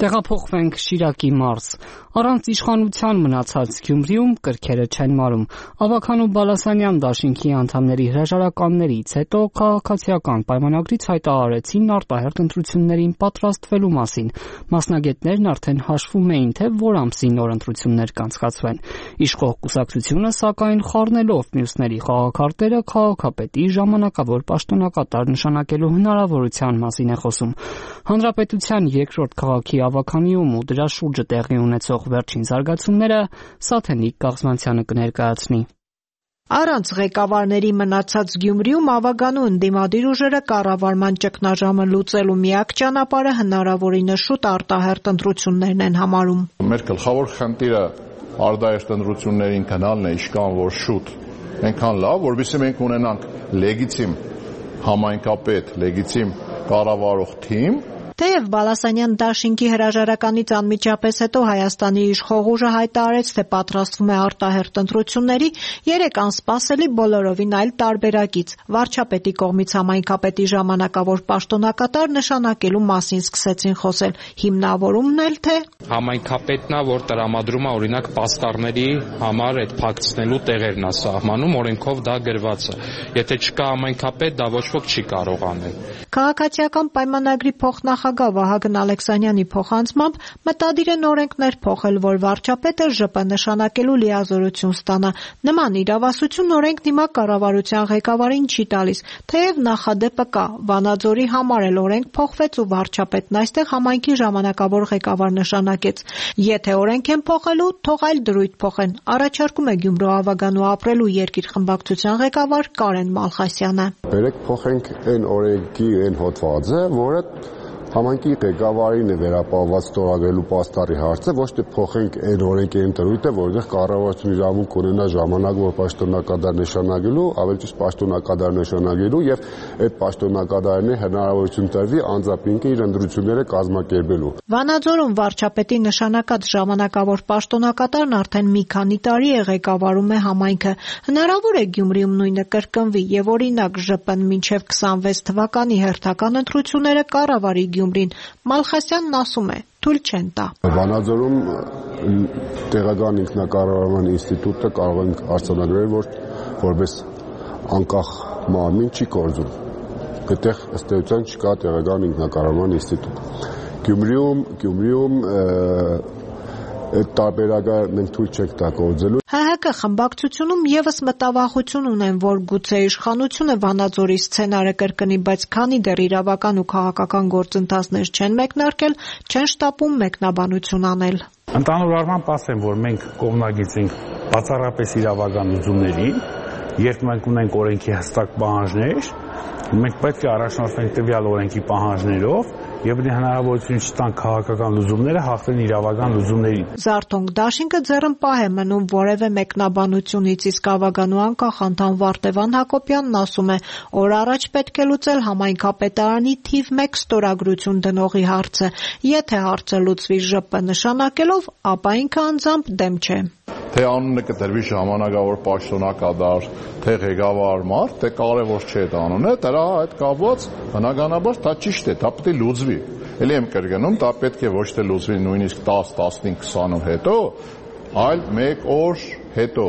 Տեղափոխվենք Շիրակի մարզ։ Առանց իշխանության մնացած Գյումրիում կրքերը չեն մարում։ Ավագանու Բալասանյան դաշինքի անդամների հրաժարականներից հետո քաղաքացիական պայմանագրից հայտարարեցին արտահերթ ընտրություններին պատրաստվելու մասին։ Մասնագետներն արդեն հաշվում էին, թե որ ամսին նոր ընտրություններ կանցկացվեն։ Իշխող կուսակցությունը, սակայն, խառնելով մյուսների խաղաքարտերը, քաղաքապետի ժամանակավոր պաշտոնակատար նշանակելու հնարավորության մասին է խոսում։ Հանրապետության երկրորդ քաղաքի ավագանիում ու դրա շուրջը տեղի ունեցող վերջին զարգացումները Սաթենիկ Կաղզմանցյանը կներկայացնի։ Առանց ղեկավարների մնացած Գյումրիում ավագանու ընդդիմադիր ուժերը կառավարման ճգնաժամը լուծելու միակ ճանապարհը հնարավորինս շուտ արտահերթ ընտրություններն են համարում։ Մեր գլխավոր խնդիրը արտահերթ ընտրություններին գնալն է, իշքան որ շուտ, այնքան լավ, որովհետեւ մենք ունենանք լեգիտիմ համայնքապետ, լեգիտիմ կառավարող թիմ։ Թեև Բալասանյան դաշինքի հրաժարականից անմիջապես հետո Հայաստանի իշխող ուժը հայտարարեց, թե պատրաստվում է արտահերթ ընտրությունների, երեք անսպասելի բոլորովին այլ տարբերակից վարչապետի կողմից համայնքապետի ժամանակավոր պաշտոնակատար նշանակելու մասին սկսեցին խոսել։ Հիմնավորումն էլ թե համայնքապետն է, որ տրամադրում է օրինակ պաստառների համար այդ փակցնելու տեղերն է սահմանում, օրենքով դա գրված է։ Եթե չկա համայնքապետ, դա ոչ ոք չի կարող անել։ Քաղաքացիական պայմանագրի փոխնախագահ Վահագն Ալեքսանյանի փոխանցմամբ մտադիր են օրենքներ փոխել, որ վարչապետը ԺՊ նշանակելու լիազորություն ստանա։ Նման իրավասություն օրենքն հիմա կառավարության ղեկավարին չի տալիս, թեև նախադեպը կա։ Վանաձորի համար էլ օրենք փոխվեց ու վարչապետն այստեղ համայնքի ժամանակավոր ղեկավար նշանակեց։ Եթե օրենք են փոխելու, թող այլ դրույթ փոխեն, առաջարկում է Գյումրու ավագանու ապրելու երկիր խմբակցության ղեկավար Կարեն Մալխասյանը։ Բերեք փոխենք այն օրենքի այն հոդվածը, որը համայնքի ղեկավարին է վերապահված ստորագրելու պաստառի հարցը, ոչ թե փոխենք այն օրենքի ընտրույթը, որտեղ կառավարությունը իրավունք ունենա ժամանակ, որ պաշտոնակատար նշանակելու, ավելի ճիշտ պաշտոնակատար նշանակելու եւ այդ պաշտոնակատարին հնարավորություն տրվի անձապինքը իր ընտրությունները կազմակերպելու։ Վանաձորում վարչապետի նշանակած ժամանակավոր պաշտոնակատարն արդեն մի քանի տարի է ղեկավարում է համայնքը։ Հնարավոր է Գյումրիում նույնը կրկնվի եւ օրինակ ԺՊ-ն մինչեւ քսանվեց թվականի հերթական ընտրությունները կառավարի Գյումրին։ Մալխասյանն ասում է, թույլ չեն տա։ Վանաձորում տեղական ինքնակառավարման ինստիտուտը կարող ենք արձանագրել, որ որպես անկախ մարմին չի գործում։ Այդտեղ ըստ էության չկա տեղական ինքնակառավարման ինստիտուտ։ Գյումրիում, Գյումրիում այդ տարբերակը մենք թույլ չենք տա գործելու։ Հ Հ Կ խմբակցությունում եւս մտավախություն ունեն, որ գուցե իշխանությունը Վանաձորի սցենարը կրկնի, բայց քանի դեռ իրավական ու քաղաքական գործընթացներ չեն մեկնարկել, չեն շտապում մեկնաբանություն անել։ Ընդհանուր առմամբ ասեմ, որ մենք կողմնակից ենք բացառապես իրավական լուծումներին, երբ մենք ունենք օրենքի հստակ պահանջներ, մենք պետք է առաջնորդվենք տվյալ օրենքի պահանջներով եւ հնարավորություն չտան քաղաքական լուծումները հաղթեն իրավական լուծումներին։ Զարթոնք դաշինքը ձեռնպահ է մնում որևէ մեկնաբանությունից, իսկ ավագանու անկախ անդամ Վարդևան Հակոբյանն ասում է, օր առաջ պետք է լուծել համայնքապետարանի թիվ մեկ ստորագրություն դնողի հարցը։ Եթե հարցը լուծվի ԺՊ նշանակելով, ապա ինքը անձամբ դեմ չէ։ Թե անունը կտրվի ժամանակավոր պաշտոնակատար, թե ղեկավար մարդ, թե կարևոր չէ այդ անունը, դրա այդ կապված բնականաբար դա ճիշտ է, դա պետք է լուծվի։ Էլի եմ կրկնում, դա պետք է ոչ թե լուծվի նույնիսկ դես, տասնհինգ, քսան օր հետո, այլ մեկ օր հետո,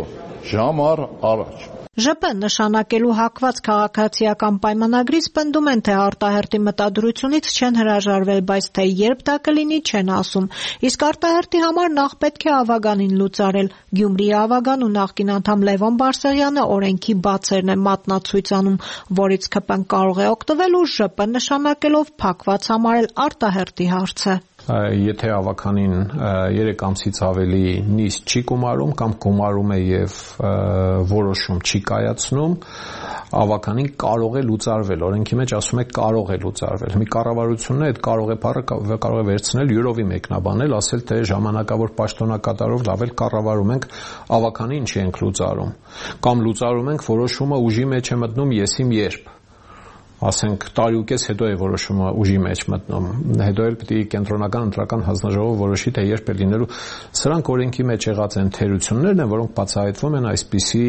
ժամ առ առաջ։ ԺՊ նշանակելու հակված քաղաքացիական պայմանագրից պնդում են, թե արտահերտի մտադրությունից չեն հրաժարվել, բայց թե երբ դա կլինի չեն ասում։ Իսկ արտահերտի համար նախ պետք է ավագանին լուծարել։ Գյումրիի ավագան ու նախկին անդամ Լևոն Բարսեղյանը օրենքի բացերն է մատնացույց անում, որից ՔՊ-ն կարող է օգտվել ու ԺՊ նշանակելով փակված համարել արտահերտի հարցը։ Եթե ավականին երեք ամսից ավելի նիստ չի գումարում կամ գումարում է եւ որոշում չի կայացնում, ավականին կարող է լուծարվել, օրենքի մեջ ասում է կարող է լուծարվել։ Մի կառավարությունն է այդ կարող է բառը կարող է վերցնել յուրովի մեկնաբանել, ասել թե ժամանակավոր պաշտոնակատարով լավ էլ կառավարում ենք, ավականին չի ենք լուծարում, կամ լուծարում ենք որոշումը ուժի մեջ է մտնում եսիմ երբ ասենք տարի ու կես հետո է որոշումը ուժի մեջ մտնում, հետո էլ պետք է կենտրոնական ընտրական հանձնաժողովը որոշի, թե երբ է լինելու։ Սրանք օրենքի մեջ եղած են թերություններն են, որոնք բացահայտվում են այսպիսի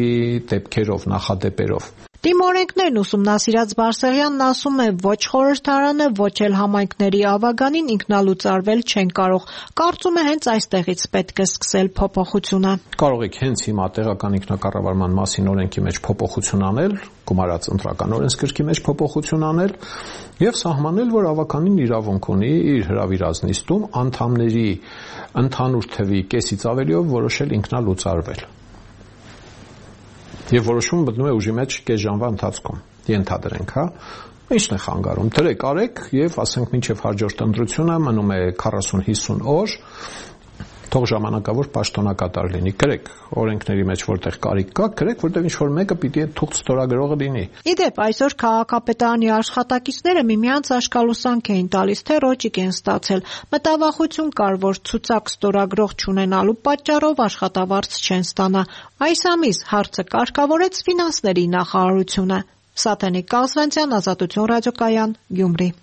դեպքերով, նախադեպերով։ Տիմօրենքներն ուսումնասիրած Բարսեղյանն ասում է, ոչ խորհրդարանը, ոչ էլ համայնքների ավագանին ինքնալուծարվել չեն կարող։ Կարծում է հենց այստեղից պետք է սկսել փոփոխությունը։ Կարող եք հենց հիմա տեղական ինքնակառավարման մասին օրենքի մեջ փոփոխություն անել, գումարած ընտրական օրենսգրքի մեջ փոփոխություն անել եւ սահմանել, որ ավականին իրավունք ունի իր հրավիրած նիստում անդամների ընդհանուր թվի կեսից ավելիով որոշել ինքնալուծարվել։ Եվ որոշումը մտնում է ուժի մեջ կես ժամվա ընթացքում, ենթադրենք, հա, ինչն է խանգարում, դրեք արեք եւ ասենք մինչեւ հաջորդ ընտրությունը մնում է քառասուն հիսուն օր, թող ժամանակավոր պաշտոնակատար լինի, գրեք օրենքների մեջ որտեղ կարիք կա, գրեք, որտեղ ինչ որ մեկը պիտի այդ թուղթ ստորագրողը լինի։ Իդեպ այսօր քաղաքապետարանի աշխատակիցները միմյանց աշկալուսանք էին տալիս, թե ռոճիկ են ստացել։ Մտավախություն կար, որ ցուցակ ստորագրող չունենալու պատճառով աշխատավարձ չեն ստանա։ Այս ամիս հարցը կարգավորեց ֆինանսների նախարարությունը։ Սաթենիկ Կազվանցյան, Ազատություն ռադիոկայան, Գյումրի։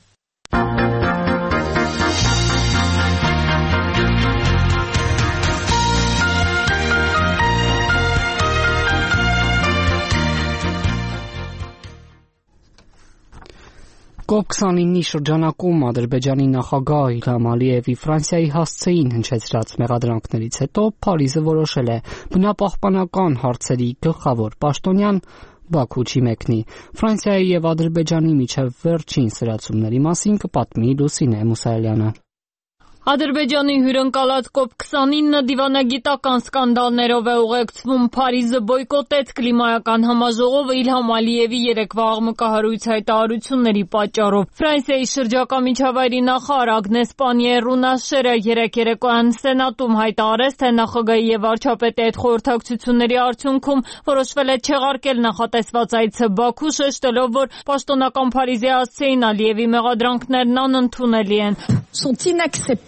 կոպ քսանինի շրջանակում Ադրբեջանի նախագահ Իլհամ Ալիևի Ֆրանսիայի հասցեին հնչեցրած մեղադրանքներից հետո Փարիզը որոշել է բնապահպանական հարցերի գլխավոր պաշտոնյան Բաքու չի մեկնի։ Ֆրանսիայի եւ Ադրբեջանի միջև վերջին սրացումների մասին կպատմի Լուսինե Մուսայելյանը։ Ադրբեջանի հյուրընկալած կոպ քսանինը դիվանագիտական սկանդալներով է ուղեկցվում։ Փարիզը բոյկոտեց կլիմայական համաժողովը Իլհամ Ալիևի երեկվա աղմկահարույց հայտարարությունների պատճառով։ Ֆրանսիայի շրջակա միջավայրի նախարար Ագնես Պանիեր-Ռունաշերը երեկ երեկոյան Սենատում հայտարարեց, թե նախագահի եւ վարչապետի այդ խորհրդակցությունների արդյունքում որոշվել է չեղարկել նախատեսված այցը Բաքու, շեշտելով, որ պաշտոնական Փարիզի հասցեին Ալիևի մեղադրանքներն անընդունելի են։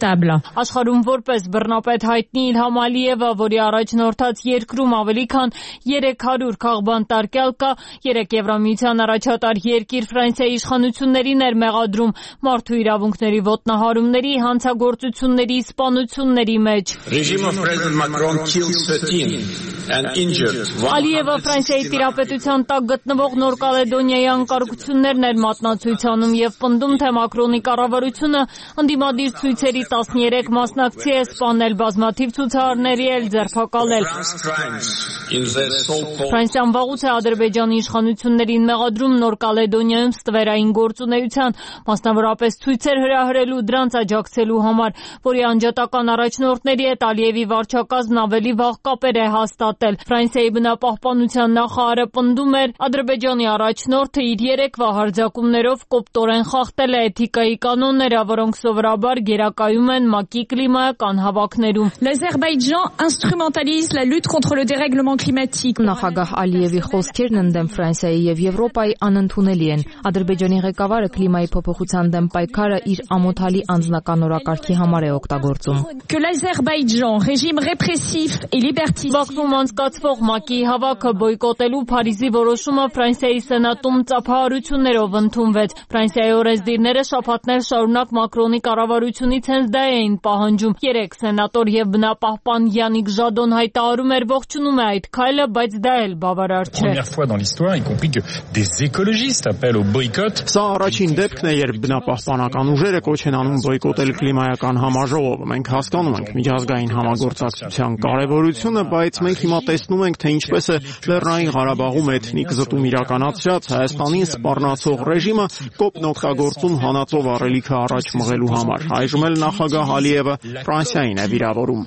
Աշխարհում որպես բռնապետ հայտնի Իլհամ Ալիևը, որի առաջնորդած երկրում ավելի քան երեք հարյուր քաղբան տարկյալ կա, երեք Եվրամիության առաջատար երկիր Ֆրանսիայի իշխանություններին էր մեղադրում մարդու իրավունքների ոտնահարումների, հանցագործությունների, սպանությունների մեջ։ Ալիևը Ֆրանսիայի տիրապետության տակ գտնվող Նոր Կալեդոնիայի անկարգություններն էր մատնացույց անում եւ պնդում, թե Մակրոնի կառավարությունը ընդդիմադիր ցույցերի տասներեք մասնակցի է սպանել, բազմաթիվ ցուցարարների էլ ձերբակալել։ Ֆրանսիան վաղուց է Ադրբեջանի իշխանություններին մեղադրում Նոր Կալեդոնիայում ստվերային գործունեության, մասնավորապես ցույցեր հրահրելու, դրանց աջակցելու համար, որի անջատական առաջնորդների հետ Ալիևի վարչակազմն ավելի վաղ կապեր է հաստատել։ Ֆրանսիայի բնապահպանության նախարարը պնդում էր, Ադրբեջանի առաջնորդը իր երեկվա հարձակումներով կոպտորեն խախտել է էթիկայի կանոնները, որոնք սովորաբար գերակայում ներկայացնում են ՄԱԿ-ի կլիմայական հավաքներում։ L'Azerbaïdjan instrumentalise la lutte contre le dérèglement climatique. Նախագահ Ալիևի խոսքերն ընդդեմ Ֆրանսիայի եւ Եվրոպայի անընդունելի են։ Ադրբեջանի ղեկավարը կլիմայի փոփոխության դեմ պայքարը իր ամոթալի անձնական օրակարգի համար է օգտագործում։ Que l'Azerbaïdjan, régime répressif et liberticide. Բաքվում անցկացվող ՄԱԿ-ի հավաքը բոյկոտելու Փարիզի որոշումը Ֆրանսիայի սենատում ծափահարություններով ընդունվեց։ Ֆրանսիայի օրենսդիրները շաբաթներ շարունակ Մակրոնի կառավարությունից հենց դա էին պահանջում։ Երեք սենատոր եւ բնապահպան Յանիկ Ժադոն հայտարարում էր ողջունում է այդ քայլը, բայց դա էլ բավարար չէ։ Սա առաջին դեպքն է, երբ բնապահպանական ուժերը կոչ են անում բոյկոտել կլիմայական համաժողովը։ Մենք հասկանում ենք միջազգային համագործակցության կարևորությունը, բայց մենք հիմա տեսնում ենք, թե ինչպես է Լեռնային Ղարաբաղում էթնիկ զտում իրականացրած Հայաստանին սպառնացող ռեժիմը կոպն օգտագործում հանածով առելիքը առաջ մղելու համար։ Այժմ էլ նախագահ Ալիևը Ֆրանսիային է վիրավորում։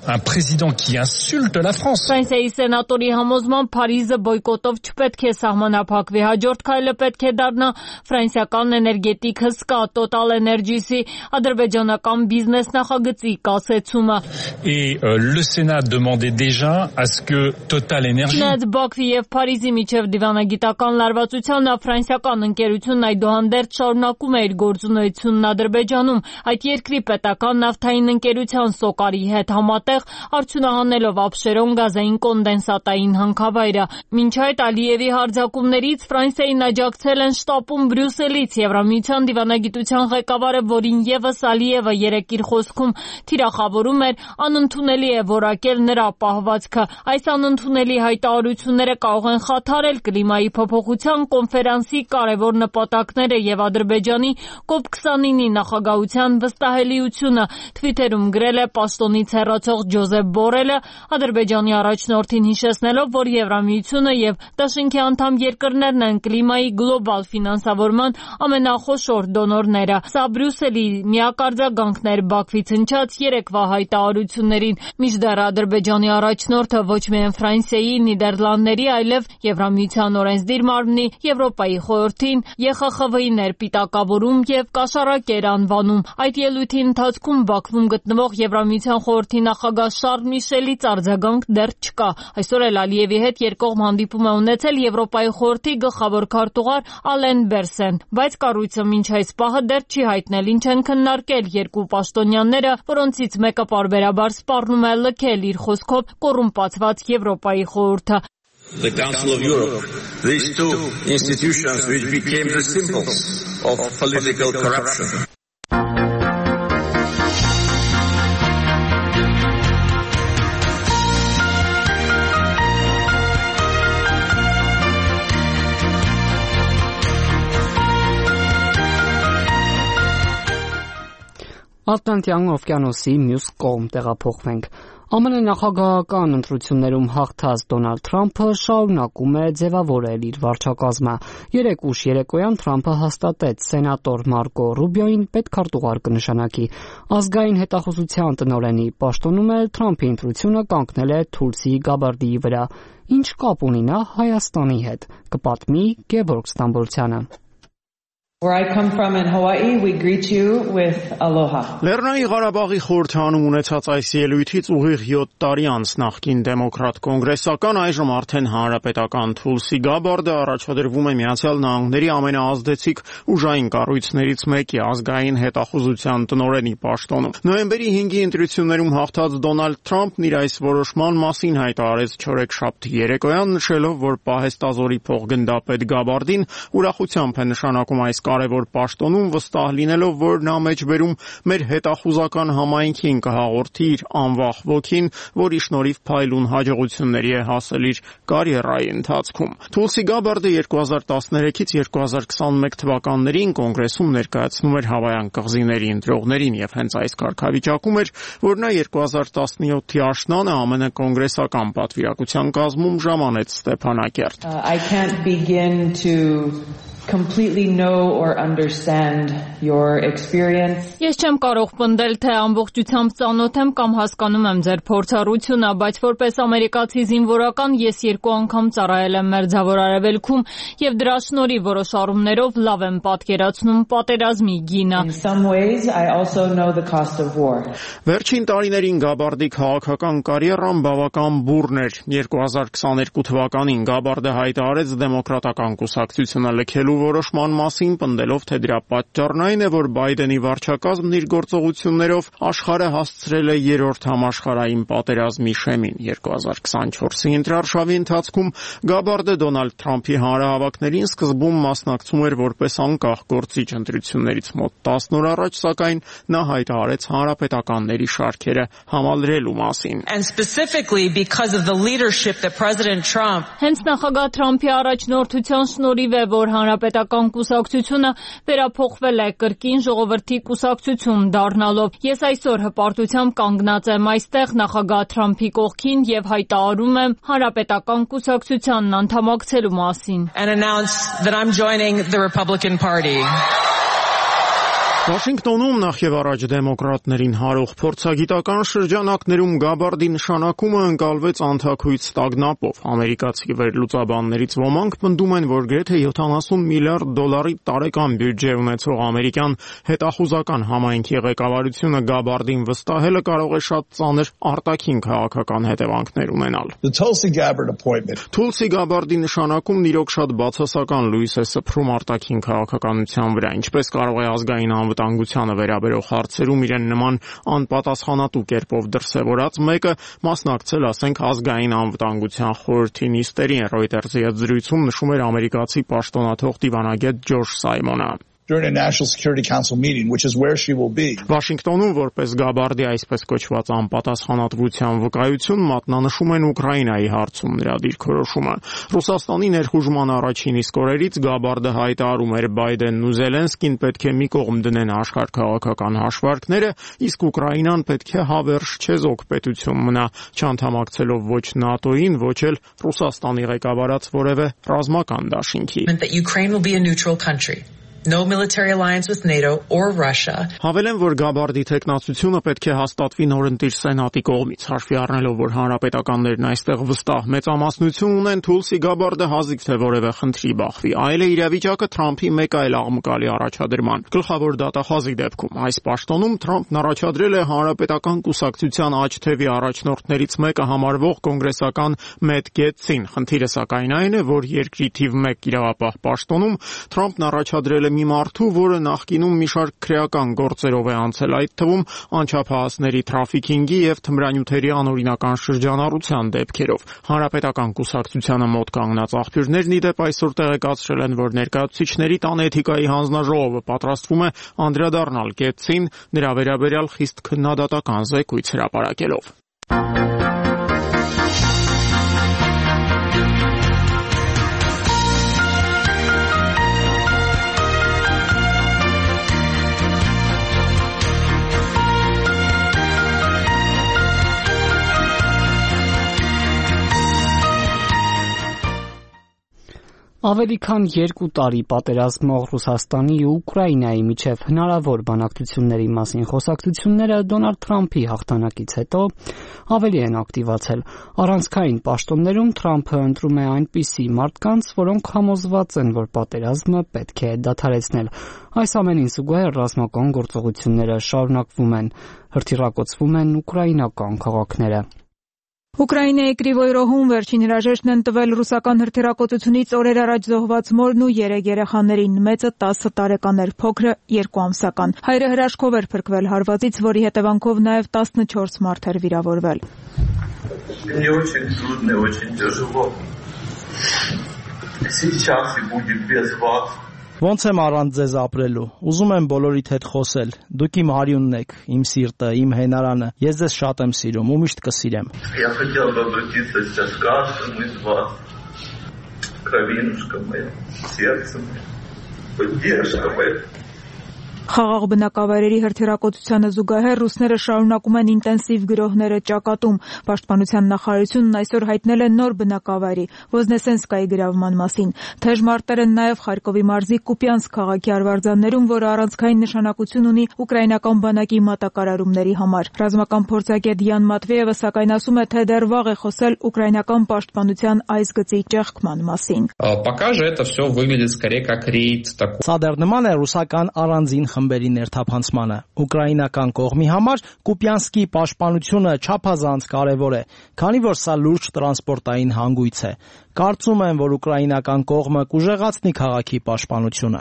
Ֆրանսիայի սենատորի համոզմամբ Փարիզը բոյկոտով չպետք է սահմանափակվի։ Հաջորդ քայլը պետք է դառնա ֆրանսիական էներգետիկ հսկա Total Energy-ի ադրբեջանական բիզնես նախագծի կասեցումը։ Չնայած Բաքվի եւ Փարիզի միջև դիվանագիտական լարվածության, ֆրանսիական ընկերությունն այդուհանդերձ շարունակում է իր գործունեությունն Ադրբեջանում, այդ երկրի պետական նավթային ընկերության Սոկարի հետ համատեղ արդյունահանելով Աբշերոն գազային կոնդենսատային հանքավայրը։ Մինչ այդ Ալիևի հարձակումներից Ֆրանսիային աջակցել են շտապում Բրյուսելից Եվրամիության դիվանագիտության ղեկավարը, որին եւս Ալիևը երեկ իր խոսքում թիրախավորում էր, անընդունելի է որակել նրա պահվածքը։ Այս անընդունելի հայտարարությունները կարող են խաթարել կլիմայի փոփոխության կոնֆերանսի կարևոր նպատակները եւ Ադրբեջանի կոպ քսանինի նախագահության վստահելիությունը։ Թվիթերում գրել է պաշտոնից հեռացող Ջոզեփ Բորելը, Ադրբեջանի առաջնորդին հիշեցնելով, որ Եվրամիությունը եւ Դաշինքի անդամ երկրներն են կլիմայի գլոբալ ֆինանսավորման ամենախոշոր դոնորները։ Սա Բրյուսելի միակարձագանքն էր Բաքվից հնչած երեկվա հայտարարություններին։ Մինչդեռ Ադրբեջանի առաջնորդը ոչ միայն Ֆրանսիայի, Նիդերլանդների, այլև Եվրամիության օրենսդիր մարմնի, Եվրոպայի խորհրդին, Ե Խ Խ V-ին էր պիտակավորում եւ կաշառակ էր անվանում։ Այդ ելույթի ընթացքում Բաքվում գտնվող Եվրամիության խորհրդի նախագահ Շարլ Միշելից արձագանք դեռ չկա։ Այսօր էլ Ալիևի հետ երկկողմ հանդիպում է ունեցել Եվրոպայի խորհրդի գլխավոր քարտուղար Ալեն Բերսեն, բայց կառույցը մինչ այս պահը դեռ չի հայտնել ինչ են քննարկել երկու պաշտոնյաները, որոնցից մեկը պարբերաբար սպառնում է լքել իր խոսքով կոռումպացված Եվրոպայի խորհուրդը։ The Council of Europe, these two institutions which became the symbols of political corruption. Ատլանտյան օվկիանոսի մյուս կողմ տեղափոխվենք։ Ամեն նախագահական ընտրություններում հաղթած Դոնալդ Թրամփը շարունակում է ձևավորել իր վարչակազմը։ Երեկ ուշ երեկոյան Թրամփը հաստատեց սենատոր Մարկո Ռուբիոին պետքարտուղար կնշանակի։ Ազգային հետախուզության տնօրենի պաշտոնում էլ Թրամփի ընտրությունը կանգնել է Թուլսի Գաբարդիի վրա։ Ինչ կապ ունի նա Հայաստանի հետ, կպատմի Գևորգ Ստամբոլցյանը։ Where I come from in Hawaii, we greet you with aloha. Լեռնային Ղարաբաղի խորհրդանում ունեցած այս ելույթից ուղիղ յոթ տարի անց նախկին դեմոկրատ կոնգրեսական, այժմ արդեն հանրապետական Թուլսի Գաբարդը առաջադրվում է Միացյալ Նահանգների ամենաազդեցիկ ուժային կառույցներից մեկի ազգային հետախուզության տնօրենի պաշտոնում։ Նոյեմբերի հինգի ընտրություններում հաղթած Դոնալդ Թրամփն իր այս որոշման մասին հայտարարեց չորեքշաբթի երեկոյան, նշելով, որ պահեստազորի փոխգնդապետ Գաբարդին ուրախությամբ է նշանակում այս կարևոր պաշտոնում, վստահ լինելով, որ նա մեջբերում մեր հետախուզական համայնքին կհաղորդի իր անվախ ոգին, որի շնորհիվ փայլուն հաջողությունների է հասել իր կարիերայի ընթացքում։ Թուլսի Գաբարդը երկու հազար տասներեքից երկու հազար քսանմեկ թվականներին կոնգրեսում ներկայացնում էր Հավայան կղզիների ընտրողներին եւ հենց այս կարգավիճակում էր, որ նա երկու հազար տասնյոթի աշնանը ԱՄՆ կոնգրեսական պատվիրակության կազմում ժամանեց Ստեփանակերտ։ Uh, I can't begin to completely know or understand your experience. Ես չեմ կարող պնդել, թե ամբողջությամբ ծանոթ եմ կամ հասկանում եմ ձեր փորձառությունը, բայց որպես ամերիկացի զինվորական ես երկու անգամ ծառայել եմ Մերձավոր Արևելքում եւ դրա շնորհիվ որոշ առումներով լավ եմ պատկերացնում պատերազմի գինը. In some ways I also know the cost of war. Վերջին տարիներին Գաբարդի քաղաքական կարիերան բավական բուռն էր. երկու հազար քսաներկու թվականին Գաբարդը հայտարարեց դեմոկրատական կուսակցությունը լքելու որոշման մասին, պնդելով, թե դրա պատճառն այն է, որ Բայդենի վարչակազմն իր գործողություններով աշխարհը հասցրել է երրորդ համաշխարհային պատերազմի շեմին. երկու հազար քսանչորսի ընտրարշավի ընթացքում Գաբարդը Դոնալդ Թրամփի հանրահավաքներին սկզբում մասնակցում էր որպես անկախ գործիչ, ընտրություններից մոտ տասն օր առաջ, սակայն նա հայտարարեց հանրապետականների շարքերը համալրելու մասին. And specifically because of the leadership that President Trump Հենց նախագահ Թրամփի առաջնորդության շնորհիվ է, որ հանրապետական կուսակցությունը վերափոխվել է կրկին ժողովրդի կուսակցություն դառնալով. Ես այսօր հպարտությամբ կանգնած եմ այստեղ նախագահ Թրամփի կողքին եւ հայտարարում եմ հանրապետական կուսակցությանն անդամակցելու մասին. and announce that I'm joining the Republican Party. Վաշինգտոնում նախ եւ առաջ դեմոկրատներին հարող փորձագիտական շրջանակներում Գաբարդի նշանակումը ընկալվեց անթաքույց ստագնապով. ամերիկացի վերլուծաբաններից ոմանք պնդում են, որ գրեթե յոթանասուն միլիարդ դոլարի տարեկան բյուջե ունեցող ամերիկյան հետախուզական համայնքի ղեկավարությունը Գաբարդին վստահելը կարող է շատ ծանր արտաքին քաղաքական հետևանքներ ունենալ. The Tulsi Gabbard appointment. Թուլսի Գաբարդի նշանակումն իրոք շատ բացասական լույս է սփռում արտաքին քաղաքականության վրա, ինչպես կարող է ազգային անվտանգությանը վերաբերող հարցերում իրեն նման անպատասխանատու կերպով դրսևորած մեկը մասնակցել, ասենք, ազգային անվտանգության խորհրդի նիստերին. Reuters-ի հետ զրույցում նշում էր ամերիկացի պաշտոնաթող դիվանագետ Ջորջ Սայմոնը. during a National Security Council meeting, which is where she will be. Վաշինգտոնում որպես Գաբարդի այսպես կոչված անպատասխանատվության վկայություն մատնանշում են Ուկրաինայի հարցում նրա դիրքորոշումը. Ռուսաստանի ներխուժման առաջին իսկ օրերից Գաբարդը հայտարարում էր Բայդենն ու Զելենսկին պետք է մի կողմ դնեն աշխարհքաղաքական հաշվարկները, իսկ Ուկրաինան պետք է հավերժ չեզոք պետություն մնա, չանդամակցելով ոչ ՆԱՏՕ-ին, ոչ էլ Ռուսաստանի ղեկավարած որևէ ռազմական դաշինքի. That Ukraine will be a neutral country. No military alliance with NATO or Russia. Հավելեն, որ Գաբարդի տեխնացությունը պետք է հաստատվի նորընտիր սենատի կողմից, հաշվի առնելով, որ հանրապետականներն այստեղ վստահ մեծամասնություն ունեն, Թուլսի Գաբարդը հազիվ թե որևէ խնդրի բախվի. Այլ է իրավիճակը Թրամփի մեկ այլ աղմկալի առաջադրման. Գլխավոր դատախազի դեպքում այս պաշտոնում Թրամփն առաջադրել է հանրապետական կուսակցության աջ թևի առաջնորդներից մեկը համարվող կոնգրեսական Մեթ Գեթսին. Խնդիրը սակայն այն է, որ երկրի թիվ մեկ իրավապահ պաշտոնում Թրամփն առաջադրել է մի մարդու, որը նախկինում մի շարք քրեական գործերով է անցել, այդ թվում անչափահասների թրաֆիքինգի եւ թմրանյութերի անօրինական շրջանառության դեպքերով. Հանրապետական կուսակցությանը մոտ կանգնած աղբյուրներն ի դեպ այսօր տեղեկացրել են, որ ներկայացուցիչների տան էթիկայի հանձնաժողովը պատրաստվում է անդրադառնալ Գեթսին, նրա վերաբերյալ խիստ քննադատական զեկույց հրապարակելով. Ավելի քան երկու տարի պատերազմող Ռուսաստանի ու Ուկրաինայի միջև հնարավոր բանակցությունների մասին խոսակցությունները Դոնալդ Թրամփի հաղթանակից հետո ավելի են ակտիվացել. Առանցքային պաշտոններում Թրամփը ընտրում է այնպիսի մարդկանց, որոնք համոզված են, որ պատերազմը պետք է դադարեցնել. Այս ամենին զուգահեռ ռազմական գործողությունները շարունակվում են, հրթիռակոծվում են ուկրաինական քաղաքները. Ուկրաինայի Կրիվոյ-Ռոհում վերջին հրաժեշտն են տվել ռուսական հրթիռակոծությունից օրեր առաջ զոհված մորն ու երեք երեխաներին, մեծը տասը տարեկան էր, փոքրը երկու ամսական. Հայրը հրաշքով էր փրկվել հարվածից, որի հետևանքով նաև տասնչորս մարդ էր վիրավորվել. Ոնց եմ առանց ձեզ ապրելու, ուզում եմ բոլորիդ հետ խոսել, դուք իմ հարյունն եք, իմ սիրտը, իմ հենարանը, ես ձեզ շատ եմ սիրում ու միշտ կսիրեմ. Խաղաղ բնակավայրերի հրթիռակոծությանը զուգահեռ ռուսները շարունակում են ինտենսիվ գրոհները ճակատում։ Պաշտպանության նախարարությունն այսօր հայտնել է նոր բնակավայրի Ոզնեսենսկայի գրավման մասին։ Թեժ մարտեր են նաև Խարկովի մարզի Կուպյանսկ քաղաքի արվարձաններում, որը առանցքային նշանակություն ունի ուկրաինական բանակի մատակարարումների համար։ Ռազմական փորձագետ Յան Մատվեևը սակայն ասում է, թե դեռ վաղ է խոսել ուկրաինական պաշտպանության այս գծի ճեղքման մասին։ Սա դեռ նման է ռուսական առանձին խմբերի ներթափանցմանը։ Ուկրաինական կողմի համար Կուպյանսկի պաշտպանությունը չափազանց կարևոր է, քանի որ սա լուրջ տրանսպորտային հանգույց է։ Կարծում եմ, որ ուկրաինական կողմը կուժեղացնի քաղաքի պաշտպանությունը։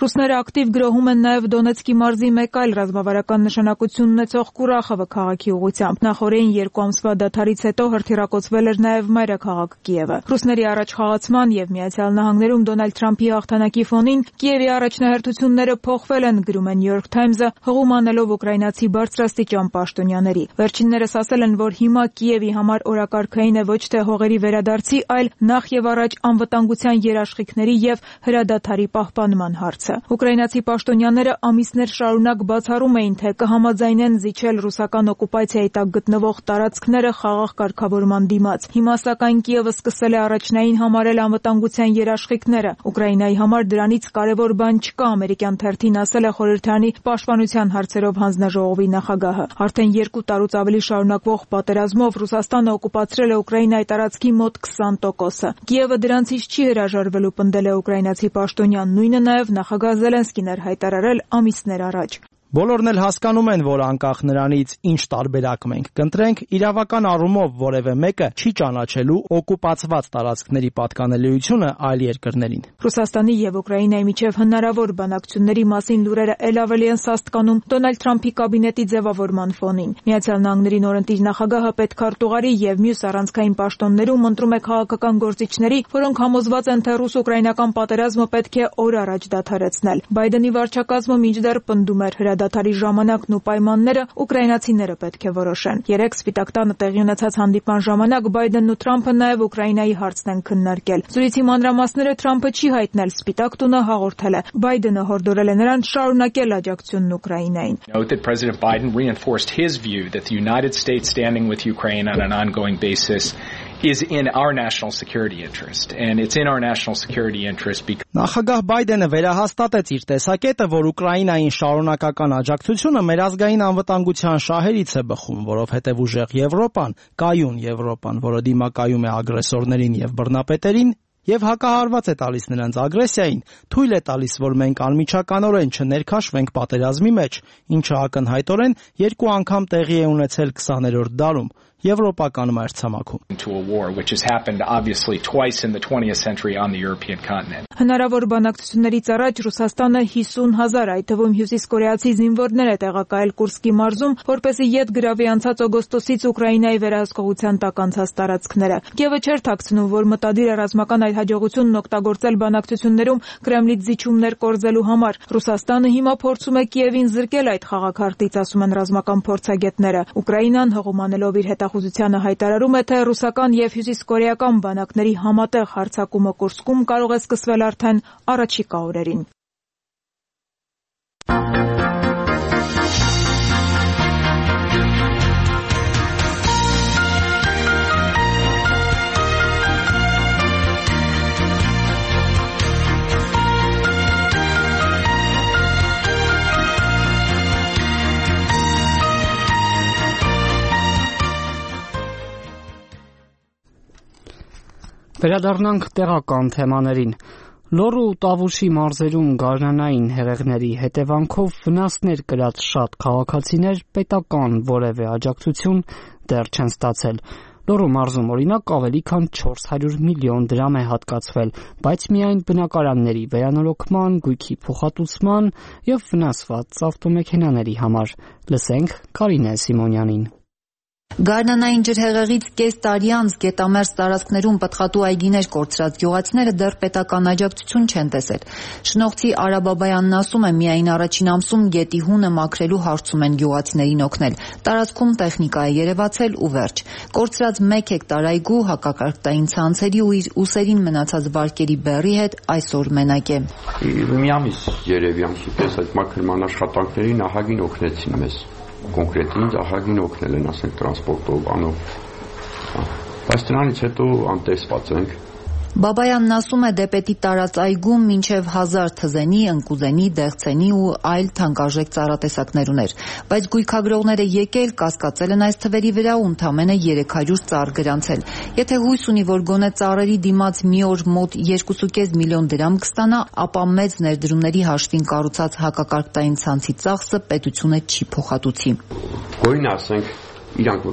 Ռուսները ակտիվ գրոհում են նաև Դոնեցկի մարզի մեկ այլ ռազմավարական նշանակություն ունեցող Կուրախովը քաղաքի ուղղությամբ։ Նախորդին երկու ամսվա դադարից հետո հրթիռակոծվել էր նաև մայրաքաղաք Կիևը։ Ռուսների առաջխաղացման եւ Միացյալ Նահանգներում Դոնալդ Թրամփի հաղթանակի ֆոնին Կիևի առաջնահերթությունները փոխվել են, գրում է New York Times-ը, հղում անելով ուկրաինացի բարձրաստիճան պաշտոնյաների։ Վերջիններս ասել են, որ հիմա Կիևի համար օրակարգային է ոչ թե հողերի վերադարձի, այլ նախ եւ առաջ անվտանգության երաշխիքների եւ հրադադարի պահպանման հարցը։ Ուկրաինացի պաշտոնյաները ամիսներ շարունակ բացառում էին, թե կհամաձայնեն զիջել ռուսական օկուպացիայի տակ գտնվող տարածքները խաղաղ կարգավորման դիմաց։ Հիմա սակայն Կիևը սկսել է առաջնային համարել անվտանգության երաշխիքները։ Ուկրաինայի համար դրանից կարևոր բան չկա, ամերիկյան թերթին ասել է խորհրդարանի պաշտպանության հարցերով հանձնաժողովի նախագահը։ Արդեն երկու տարուց ավելի շարունակվող պատերազմով Ռուսաստանը օկուպացրել է Ուկրաինայի տարածքի մոտ քսան տոկոսը։ Կիևը դրանցից չի հրաժարվելու, պնդել է ուկրաինացի պաշտոնյան, նույնը նաև նախագահ Զելենսկին էր հայտարարել ամիսներ առաջ։ Բոլորն էլ հասկանում են, որ անկախ նրանից ինչ տարբերակ մենք կընտրենք, իրավական առումով որևէ մեկը չի ճանաչելու օկուպացված տարածքների պատկանելիությունը այլ երկրներին։ Ռուսաստանի եւ Ուկրաինայի միջև հնարավոր բանակցությունների մասին լուրերը ել ավելի են սաստկանում Դոնալդ Թրամփի կաբինետի ձևավորման ֆոնին։ Միացյալ Նահանգների նորընտիր նախագահը պետքարտուղարի եւ մյուս առանցքային պաշտոններում ընտրում է քաղաքական գործիչների, որոնք համոզված են, թե ռուս-ուկրաինական պատերազմը պետք է օր առաջ դադարեցնել։ Բայդենի վարչակազմը մինչդեռ պնդում էր հրադադարի ժամանակն ու պայմանները ուկրաինացիները պետք է որոշեն։ Երեք Սպիտակ տանը տեղի ունեցած հանդիպման ժամանակ Բայդենն ու Թրամփը նաև Ուկրաինայի հարցն են քննարկել։ Զրույցի մանրամասները Թրամփը չի հայտնել, Սպիտակ տունը հաղորդել է։ Բայդենը հորդորել է նրան շարունակել աջակցությունն Ուկրաինային։ Note that President Biden reinforced his view that the United States standing with Ukraine on an ongoing basis is in our national security interest, and it's in our national security interest because Նախագահ Բայդենը վերահաստատեց իր տեսակետը, որ Ուկրաինային շարունակական աջակցությունը մեր ազգային անվտանգության շահերից է բխում, որովհետև ուժեղ Եվրոպան, կայուն Եվրոպան, որը դիմակայում է ագրեսորներին եւ բռնապետերին, եւ հակահարված է տալիս նրանց ագրեսիային, թույլ է տալիս, որ մենք անմիջականորեն չներքաշվենք պատերազմի մեջ, ինչը ակնհայտորեն երկու անգամ տեղի է ունեցել քսաներորդ դարում Եվրոպական մայրցամաքում։ Հնարավոր բանակցություններից առաջ Ռուսաստանը հիսուն հազար, այդ թվում հյուսիսկորեացի զինվորներ է տեղակայել Կուրսկի մարզում, որպեսզի ետ գրավի անցած օգոստոսից Ուկրաինայի վերահսկողության տակ անցած տարածքները։ Կիևը չէր թաքցնում, որ մտադիր է ռազմական այդ հաջողությունն օգտագործել բանակցություններում Կրեմլից զիջումներ կորզելու համար։ Ռուսաստանը հիմա փորձում է Կիևին զրկել այդ խաղաքարտից, ասում են ռազմական փորձագետները։ Ուկրաինան հղումանելով իր հետախուզությանը հայտարարում է, թե ռուսական եւ հյուսիսկորեական բանակների համատեղ հարձակումը Կուրսկում կարող է սկսվել արդեն առաջիկա օրերին։ Վերադառնանք տեղական թեմաներին։ Լոռու ու Տավուշի մարզերում գարնանային հեղեղների հետևանքով վնասներ կրած շատ քաղաքացիներ պետական որևէ աջակցություն դեռ չեն ստացել։ Լոռու մարզում օրինակ ավելի քան չորս հարյուր միլիոն դրամ է հատկացվել, բայց միայն բնակարանների վերանորոգման, գույքի փոխհատուցման եւ վնասված ավտոմեքենաների համար։ Լսենք Կարինե Սիմոնյանին։ Գարնանային ջրհեղեղից կես տարի անց գետամերձ տարածքներում պտղատու այգիներ կորցրած գյուղացիները դեռ պետական աջակցություն չեն տեսել։ Շնողցի Արա Բաբայանն ասում է, միայն առաջին ամսում գետի հունը մաքրելու հարցում են գյուղացիներին օգնել։ Տարածքում տեխնիկա է երևացել ու վերջ։ Կորցրած մեկ հեկտար այգու հակակարգտային ցանցերի ու իր ուսերին մնացած վարկերի բեռի հետ այսօր մենակ է։ Մի ամիս երևի ամսուպես այդ մաքրման աշխատանքների նահագին օգնեցին մեզ։ Կոնկրետ ինձ ահագին օգնել են, ասենք, տրանսպորտով, անով, բայց դրանից հետո անտեսված ենք։ Բաբայանն ասում է, դեպետի տարած այգում մինչև հազար թզենի, ընկուզենի, դեղցենի ու այլ թանկարժեք ծառատեսակներ ուներ, բայց գույքագրողները եկել, կասկածել են այս թվերի վրա ու ընդամենը երեք հարյուր ծառ գրանցել։ Եթե հույս ունի, որ գոնե ծառերի դիմաց մի օր մոտ երկու կես միլիոն դրամ կստանա, ապա մեծ ներդրումների հաշվին կառուցած հակակարգտային ցանցի ծախսը պետությունը չի փոխհատուցի։ Գույն ասենք, իրանք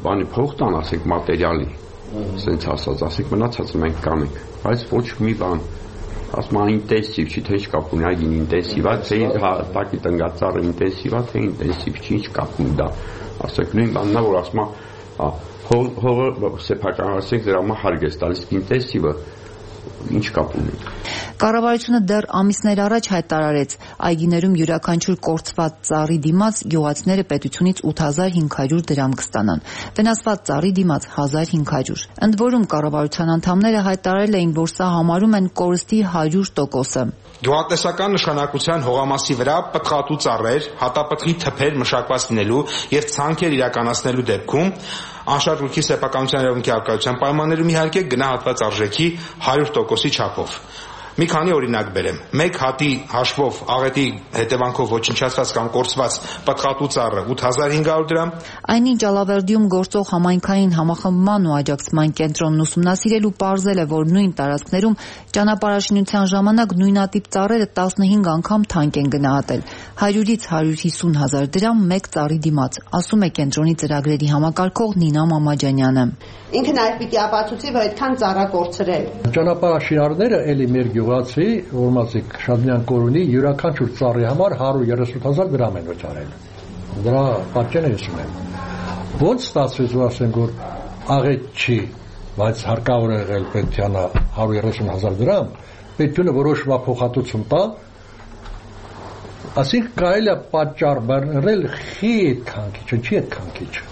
բանի փող տան, ասենք, մատերիալի սենց ասած, ասենք մնացած մենք կանենք, բայց ոչ մի բան, ասում է ինտենսիվ չի, թե ինչ կապ ունի, այգին ինտենսիվ է, թե տակի տնգած ծառը ինտենսիվ է, թե ինտենսիվ չի, ինչ կապ ունի դա, ասենք նույն բանն է, որ ասում է հողը սեփական, ասենք դրա համար հարկ է տալիս, ինտենսիվը ինչ կապ ունի։ Կառավարությունը դեռ ամիսներ առաջ հայտարարեց, այգիներում յուրաքանչյուր կորցված ծառի դիմաց գյուղացիները պետությունից ութ հազար հինգ հարյուր դրամ կստանան, վնասված ծառի դիմաց հազար հինգ հարյուր։ Ընդ որում կառավարության անդամները հայտարարել էին, որ սա համարում են կորստի հարյուր տոկոսը։ Գյուղատնտեսական նշանակության հողամասի վրա պտղատու ծառեր, հատապտղի թփեր մշակված լինելու եւ ցանքեր իրականացնելու դեպքում անշարժույթի սեփականության իրավունքի արկայության պայմաններում իհարկե գնահատված արժեքի հարյուր տոկոսի չափով։ Մի քանի օրինակ բերեմ։ Մեկ հատի հաշվով աղետի հետևանքով ոչնչացված կամ կորցված պտղատու ծառը ութ հազար հինգ հարյուր դրամ։ Այնինչ Ալավերդիում գործող համայնքային համախմբման ու աջակցման կենտրոնն ուսումնասիրել ու պարզել է, որ նույն տարածքներում ճանապարհաշինության ժամանակ նույնատիպ ծառերը տասնհինգ անգամ թանկ են գնահատել։ հարյուրից հարյուր հիսուն հազար դրամ մեկ ծառի դիմաց, ասում է կենտրոնի ծրագրերի համակարգող Նինա Մամաջանյանը։ Ինքը նաև պիտի ապացուցի, որ այդքան ծառա կորցրել։ Ճանապարհաշինարները էլի մեր գյուղացի, որմացիկ Շադմյան կորունի յուրաքանչյուր ծառի համար հարյուր երեսուն հազար դրամ են վճարել։ Դրա պատճենը ես ունեմ։ Ոնց ստացվեց, որ ասենք, որ աղետ չի, բայց հարկավոր է եղել պետությանը հարյուր երեսուն հազար դրամ, պետությունը որոշվա փոխհատուցում տա, ասենք կարելի է պատճառ բերել խի այդ քանքիչը, չի այդ քանքիչը։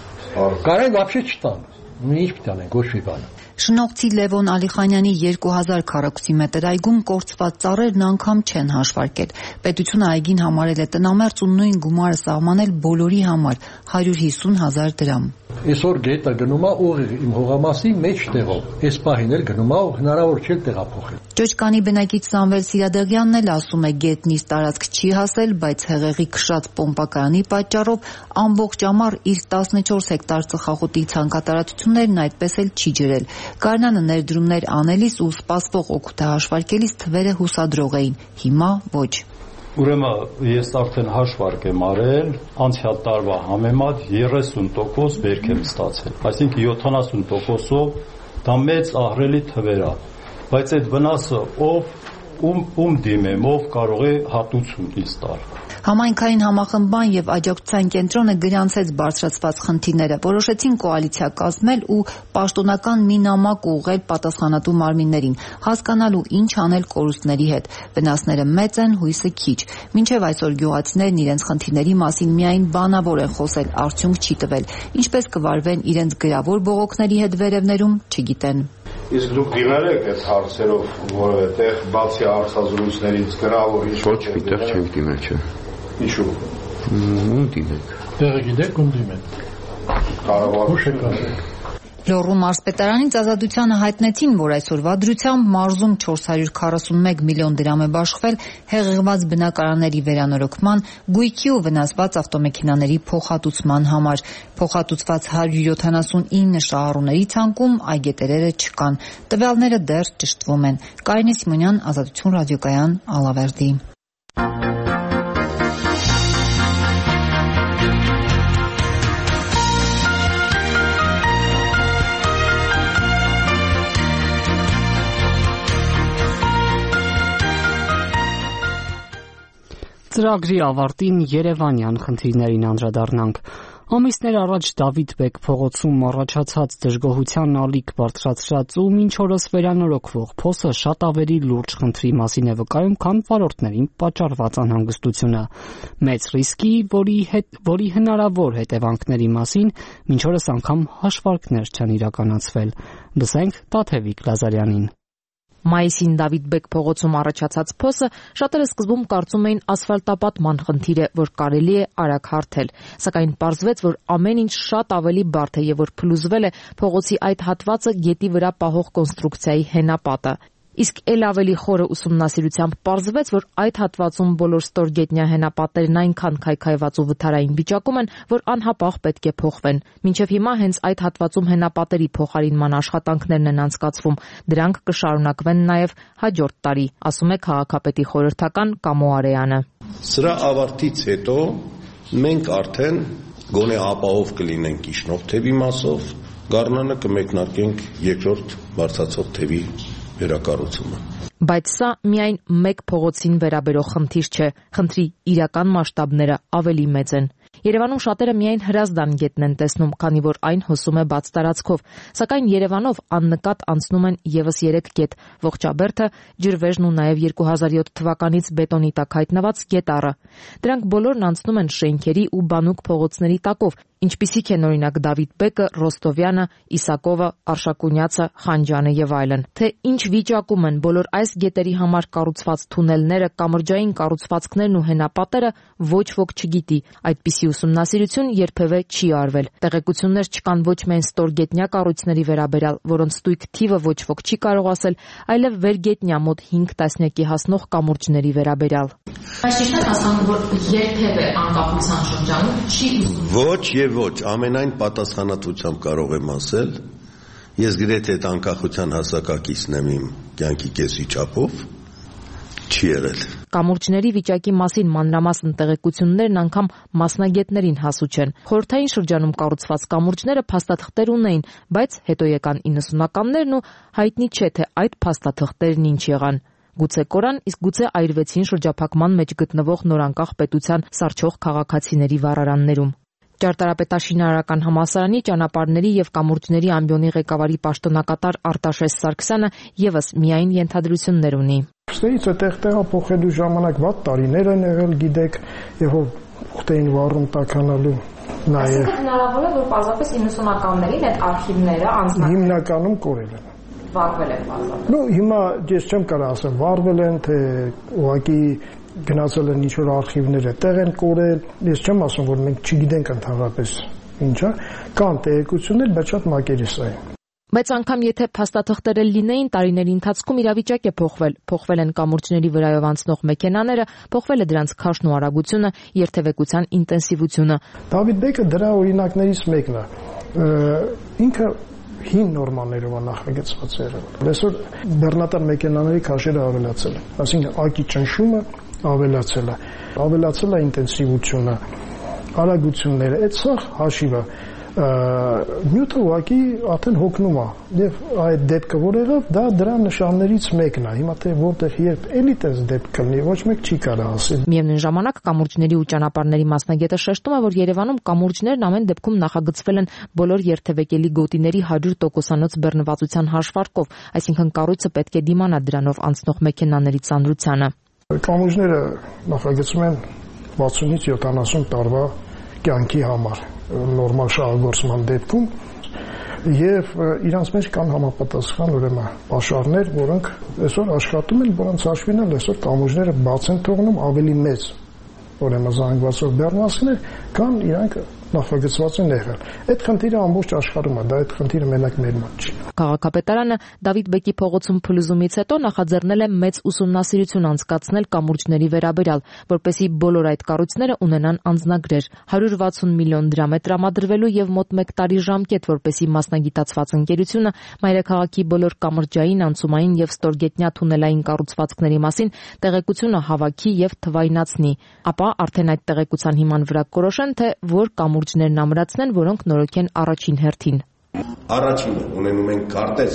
Կարեն вообще չտան։ Ինչ պիտի անենք, ոչ մի բան։ Շնողցի Լևոն Ալիխանյանի երկու հազար քառակուսի մետր այգում կորցված ծառերն անգամ չեն հաշվարկել։ Պետությունը այգին համարել է տնամերձ ու նույն գումարը սահմանել բոլորի համար հարյուր հիսուն հազար դրամ։ Այսօր գետը գնում է ուղիղ իմ հողամասի մեջտեղով, այս պահին էլ գնում է ու հնարավոր չէ տեղափոխել։ Ճոճկանի բնակիչ Սամվել Սիրադեղյանն էլ ասում է, գետն իր տարածք չի հասել, բայց հեղեղի քշած պոմպակայանի պատճառով ամբողջ ամառ իր տասնչորս հեկտար ծխախոտի ցանկատարածություններն այդպես էլ չի ջրել։ Գարնանը ներդրումներ անելիս ու սպասվող օգուտը հաշվարկելիս թվերը հուսադրող էին, հիմա ոչ։ Ուրեմն ես արդեն հաշվարկ եմ արել, անցյալ տարվա համեմատ երեսուն տոկոս բերք եմ ստացել, այսինքն յոթանասուն տոկոսով դա մեծ ահռելի թվեր է, բայց այդ վնասը ով ում ում դիմեմ, ով կարող է հատուցում ինձ տալ։ Համայնքային համախմբան եւ աջակցության կենտրոնը գրանցեց բարձրացված խնդիրները, որոշեցին կոալիցիա կազմել ու պաշտոնական մի նամակ ուղղել պատասխանատու մարմիններին, հասկանալու ինչ անել կորուստների հետ։ Վնասները մեծ են, հույսը քիչ։ Մինչև այսօր գյուղացիներն իրենց խնդիրների մասին միայն բանավոր են խոսել, արդյունք չի տվել։ Ինչպես կվարվեն իրենց գրավոր բողոքների հետ վերևներում, չգիտեն։ Իսկ դուք դիմել եք այդ հարցերով որևէ տեղ, բացի հարցազրույցներից գրավոր ինչ ոչ մի տեղ չենք դիմել, չէ։ Ինչու։ Ում դիմենք։ Տեղը գիտեք ում դիմենք։ Կառավարությունը։ Լոռու մարզպետարանից Ազատությանը հայտնեցին, որ այսօրվա դրությամբ մարզում չորս հարյուր քառասունմեկ միլիոն դրամ է բաշխվել հեղեղված բնակարանների վերանորոգման, գույքի ու վնասված ավտոմեքենաների փոխհատուցման համար։ Փոխհատուցված հարյուր յոթանասունինը շահառուների ցանկում այգետերերը չկան։ Տվյալները դեռ ճշտվում են։ Կարինե Սիմոնյան, Ազատություն ռադիոկայան, Ալավերդի։ Ծրագրի ավարտին Երևանյան խնդիրներին անդրադառնանք։ Ամիսներ առաջ Դավիթ Բեկ փողոցում առաջացած դժգոհության ալիք բարձրացրած ու մինչ օրս վերանորոգվող փոսը շատ ավելի լուրջ խնդրի մասին է վկայում, քան վարորդներին պատճառված անհանգստությունը։ Մեծ ռիսկի, որի հետ որի հնարավոր հետևանքների մասին մինչ օրս անգամ հաշվարկներ չեն իրականացվել։ Լսենք Տաթևիկ Լազարյանին։ Մայիսին Դավիթ Բեկ փողոցում առաջացած փոսը շատերը սկզբում կարծում էին ասֆալտապատման խնդիր է, որ կարելի է արագ հարթել, սակայն պարզվեց, որ ամեն ինչ շատ ավելի բարդ է եւ որ փլուզվել է փողոցի այդ հատվածը գետի վրա պահող կոնստրուկցիայի հենապատը։ Իսկ ել ավելի խորը ուսումնասիրությամբ պարզվեց, որ այդ հատվածում բոլոր ստորգետնյա հենապատերն այնքան քայքայված ու վթարային վիճակում են, որ անհապաղ պետք է փոխվեն։ Մինչև հիմա հենց այդ հատվածում հենապատերի փոխարինման աշխատանքներն են անցկացվում։ Դրանք կշարունակվեն նաև հաջորդ տարի, ասում է քաղաքապետի խորհրդական Կամո Արեյանը։ Սրա ավարտից հետո մենք արդեն գոնե ապահով կլինենք իջնող թևի մասով, գարնանը կմեկնարկենք երկրորդ բարձրացող թևի վերակառուցումը։ Բայց սա միայն մեկ փողոցին վերաբերող խնդիր չէ, խնդրի իրական մասշտաբները ավելի մեծ են։ Երևանում շատերը միայն Հրազդան գետն են տեսնում, քանի որ այն հոսում է բաց տարածքով, սակայն Երևանով աննկատ անցնում են եւս երեք գետ՝ Ողջաբերդը, Ջրվեժն ու նաև երկու հազար յոթ թվականից բետոնի տակ հայտնված Գետառը։ Դրանք բոլորն անցնում են շենքերի ու բանուկ փողոցների տակով, ինչպիսիք են օրինակ Դավիթ Բեկը, Ռոստովյանը, Իսակովը, Արշակունյացը, Խանջյանը եւ այլն։ Թե ինչ վիճակում են բոլոր այս գետերի համար կառուցված թունելները, կամրջային կառուցվածքներն ու հենապատերը, ոչ ոք չգիտի։ Այդպիսի ուսումնասիրություն երբևէ չի արվել։ Տեղեկություններ չկան ոչ միայն ստորգետնյա կառույցների վերաբերյալ, որոնց ստույգ թիվը ոչ ոք չի կարող ասել, այլև վերգետնյա մոտ հինգ տասնյակի հասնող կամուրջների վերաբերյալ։ Բայց ճիշտ է ասում, որ երբևէ անկախության շրջանում չի Ոչ եւ ոչ, ամենայն պատասխանատվությամբ կարող եմ ասել, ես գրեթե այդ անկախության հասակակիցն եմ իմ կյանքի կեսվիճակով, չի եղել։ Կամուրջների վիճակի մասին մանրամասն տեղեկություններն անգամ մասնագետներին հասու չեն։ Խորհրդային շրջանում կառուցված կամուրջները փաստաթղթեր ունեին, բայց հետո եկան իննսունականներն ու հայտնի չէ, թե այդ փաստաթղթերն ինչ եղան։ Գուցե կորան, իսկ գուցե այրվեցին շրջափակման մեջ գտնվող նորանկախ պետության սառչող քաղաքացիների վառարաններում։ Ճարտարապետաշինարարական համալսարանի ճանապարհների եւ կամուրջների ամբիոնի ղեկավարի պաշտոնակատար Արտաշես Սարգսյանը եւս միայն ենթադրություններ ունի։ Ստեից այդտեղ տեղափոխելու ժամանակ վատ տարիներ են եղել, գիտեք, եւ որ ուխտեին վառում տականալու նաեւ։ Հնարավոր է, որ պարզապես իննսունականներին այդ արխիվները անձնական հիմնականում կորել են։ Վառվել են պարզապես։ Ну, հիմա ես չեմ կարող ասեմ վառվել են, թե ուղղակի գնացել են ինչ-որ արխիվները տեղ են կորել, ես չեմ ասում, որ մենք չգիտենք ընդհանրապես ինչա, կան տեղեկություններ, բայց շատ մակերեսային։ Բայց անգամ եթե փաստաթղթերը լինեին, տարիների ընթացքում իրավիճակ է փոխվել, փոխվել են կամուրջների վրայով անցնող մեքենաները, փոխվել է դրանց քաշն ու արագությունը, երթևեկության ինտենսիվությունը։ Դավիթ Բեկը դրա օրինակներից մեկն է։ Ինքը հին նորմաներով է նախագծված եղել։ Այսօր բեռնատար մեքենաների քաշերը ավելացել են, այսինքն ակի ճնշումը ավելացել է, ավելացել է ինտենսիվությունը, արագությունները, այդ սա հաշիվը, նյութը ուղղակի արդեն հոգնում է, եւ այդ դեպքը որ եղավ, դա դրա նշաններից մեկն է, հիմա թե որտեղ երբ էլի տես դեպք կլինի, ոչ մեկ չի կարող ասել։ Միևնույն ժամանակ կամուրջների ու ճանապարհների մասնագետը շեշտում է, որ Երևանում կամուրջներն ամեն դեպքում նախագծվել են բոլոր երթևեկելի գոտիների հարյուր տոկոսանոց բեռնվածության հաշվարկով, այսինքն կառույցը պետք է դիմանա դրանով անցնող մեքենաների ծանրությանը։ Կամուրջները նախագծում են վաթսունից յոթանասուն տարվա կյանքի համար, նորմալ շահագործման դեպքում, եւ իրանց մեջ կան համապատասխան ուրեմն պաշարներ, որոնք այսօր աշխատում են, որոնց հաշվին էլ այսօր կամուրջները բաց են թողնում ավելի մեծ ուրեմն զանգվածով բեռնվածքներ, կան իրանք նախագծված են եղել։ Այդ խնդիրը ամբողջ աշխարհում է, դա այդ խնդիրը մենակ մեր մոտ չի։ Քաղաքապետարանը Դավիթ Բեկի փողոցում փլուզումից հետո նախաձեռնել է մեծ ուսումնասիրություն անցկացնել կամուրջների վերաբերյալ, որպեսզի բոլոր այդ կառույցները ունենան անձնագրեր։ հարյուր վաթսուն միլիոն դրամ է տրամադրվելու եւ մոտ մեկ տարի ժամկետ, որպեսզի մասնագիտացված ընկերությունը մայրաքաղաքի բոլոր կամրջային, անցումային եւ ստորգետնյա թունելային կառուցվածքների մասին տեղեկությունը հավաքի եւ թվայնացնի։ Ապա արդեն այդ տեղեկության հիման վրա կորոշեն, թե որ կամուրջներն ամրացնեն, որոնք նորոգեն առաջին հերթին։ Առաջինը ունենում ենք քարտեզ,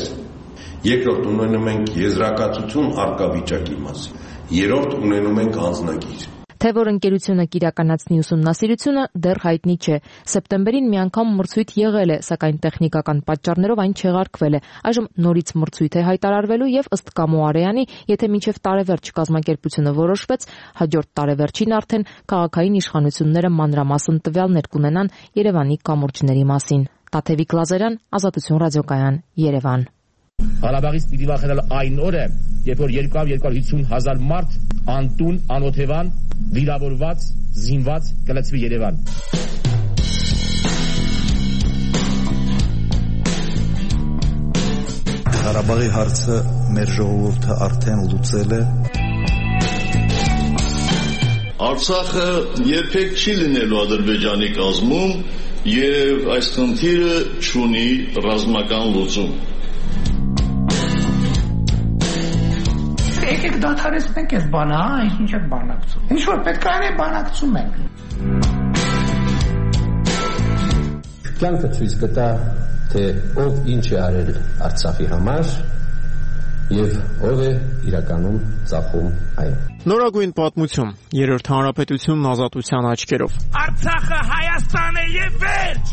երկրորդ ունենում ենք եզրակացություն արկա վիճակի մասին, երրորդ ունենում ենք անձնագիր։ Թե որ ընկերությունը կիրականացնի ուսումնասիրությունը դեռ հայտնի չէ։ Սեպտեմբերին մի անգամ մրցույթ եղել է, սակայն տեխնիկական պատճառներով այն չեղարկվել է։ Այժմ նորից մրցույթ է հայտարարվելու եւ ըստ Կամո Արեյանի, եթե մինչեւ տարեվերջ կազմակերպությունը որոշվեց, հաջորդ տարեվերջին արդեն քաղաքային իշխանությունները մանրամասն տվյալներ կունենան Երևանի կամուրջների մասին։ Տաթևիկ Լազարյան, Ազատություն ռադիոկայան, Երևան։ Ղարաբաղից պիտի վախենալ այն օրը, երբ որ երկու հարյուր հիսուն հազար մարդ անտուն, անօթևան, վիրավորված, զինված կլցվի Երևան։ Ղարաբաղի հարցը մեր ժողովուրդը արդեն լուծել է։ Արցախը երբեք չի լինելու Ադրբեջանի կազմում եւ այս խնդիրը չունի ռազմական լուծում։ Եկեք դադարեցնենք այս բանը, հա, ինչ եք բանակցում։ Ինչ որ պետք է անել, բանակցում ենք։ Կյանքը ցույց կտա, թե ով ինչ է արել Արցախի համար եւ ով է իրականում ծախում այն։ Նորագույն պատմություն, երրորդ հանրապետությունն ազատության աչքերով։ Արցախը Հայաստան է եւ վերջ։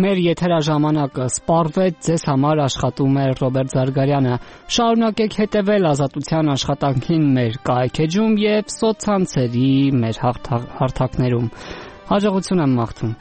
Մեր եթերաժամանակը սպառվեց, ձեզ համար աշխատում է Ռոբերտ Զարգարյանը։ Շարունակեք հետևել Ազատության աշխատանքին մեր կայքեջում եւ սոցցանցերի մեր հարթակներում։ Հաջողություն եմ մաղթում։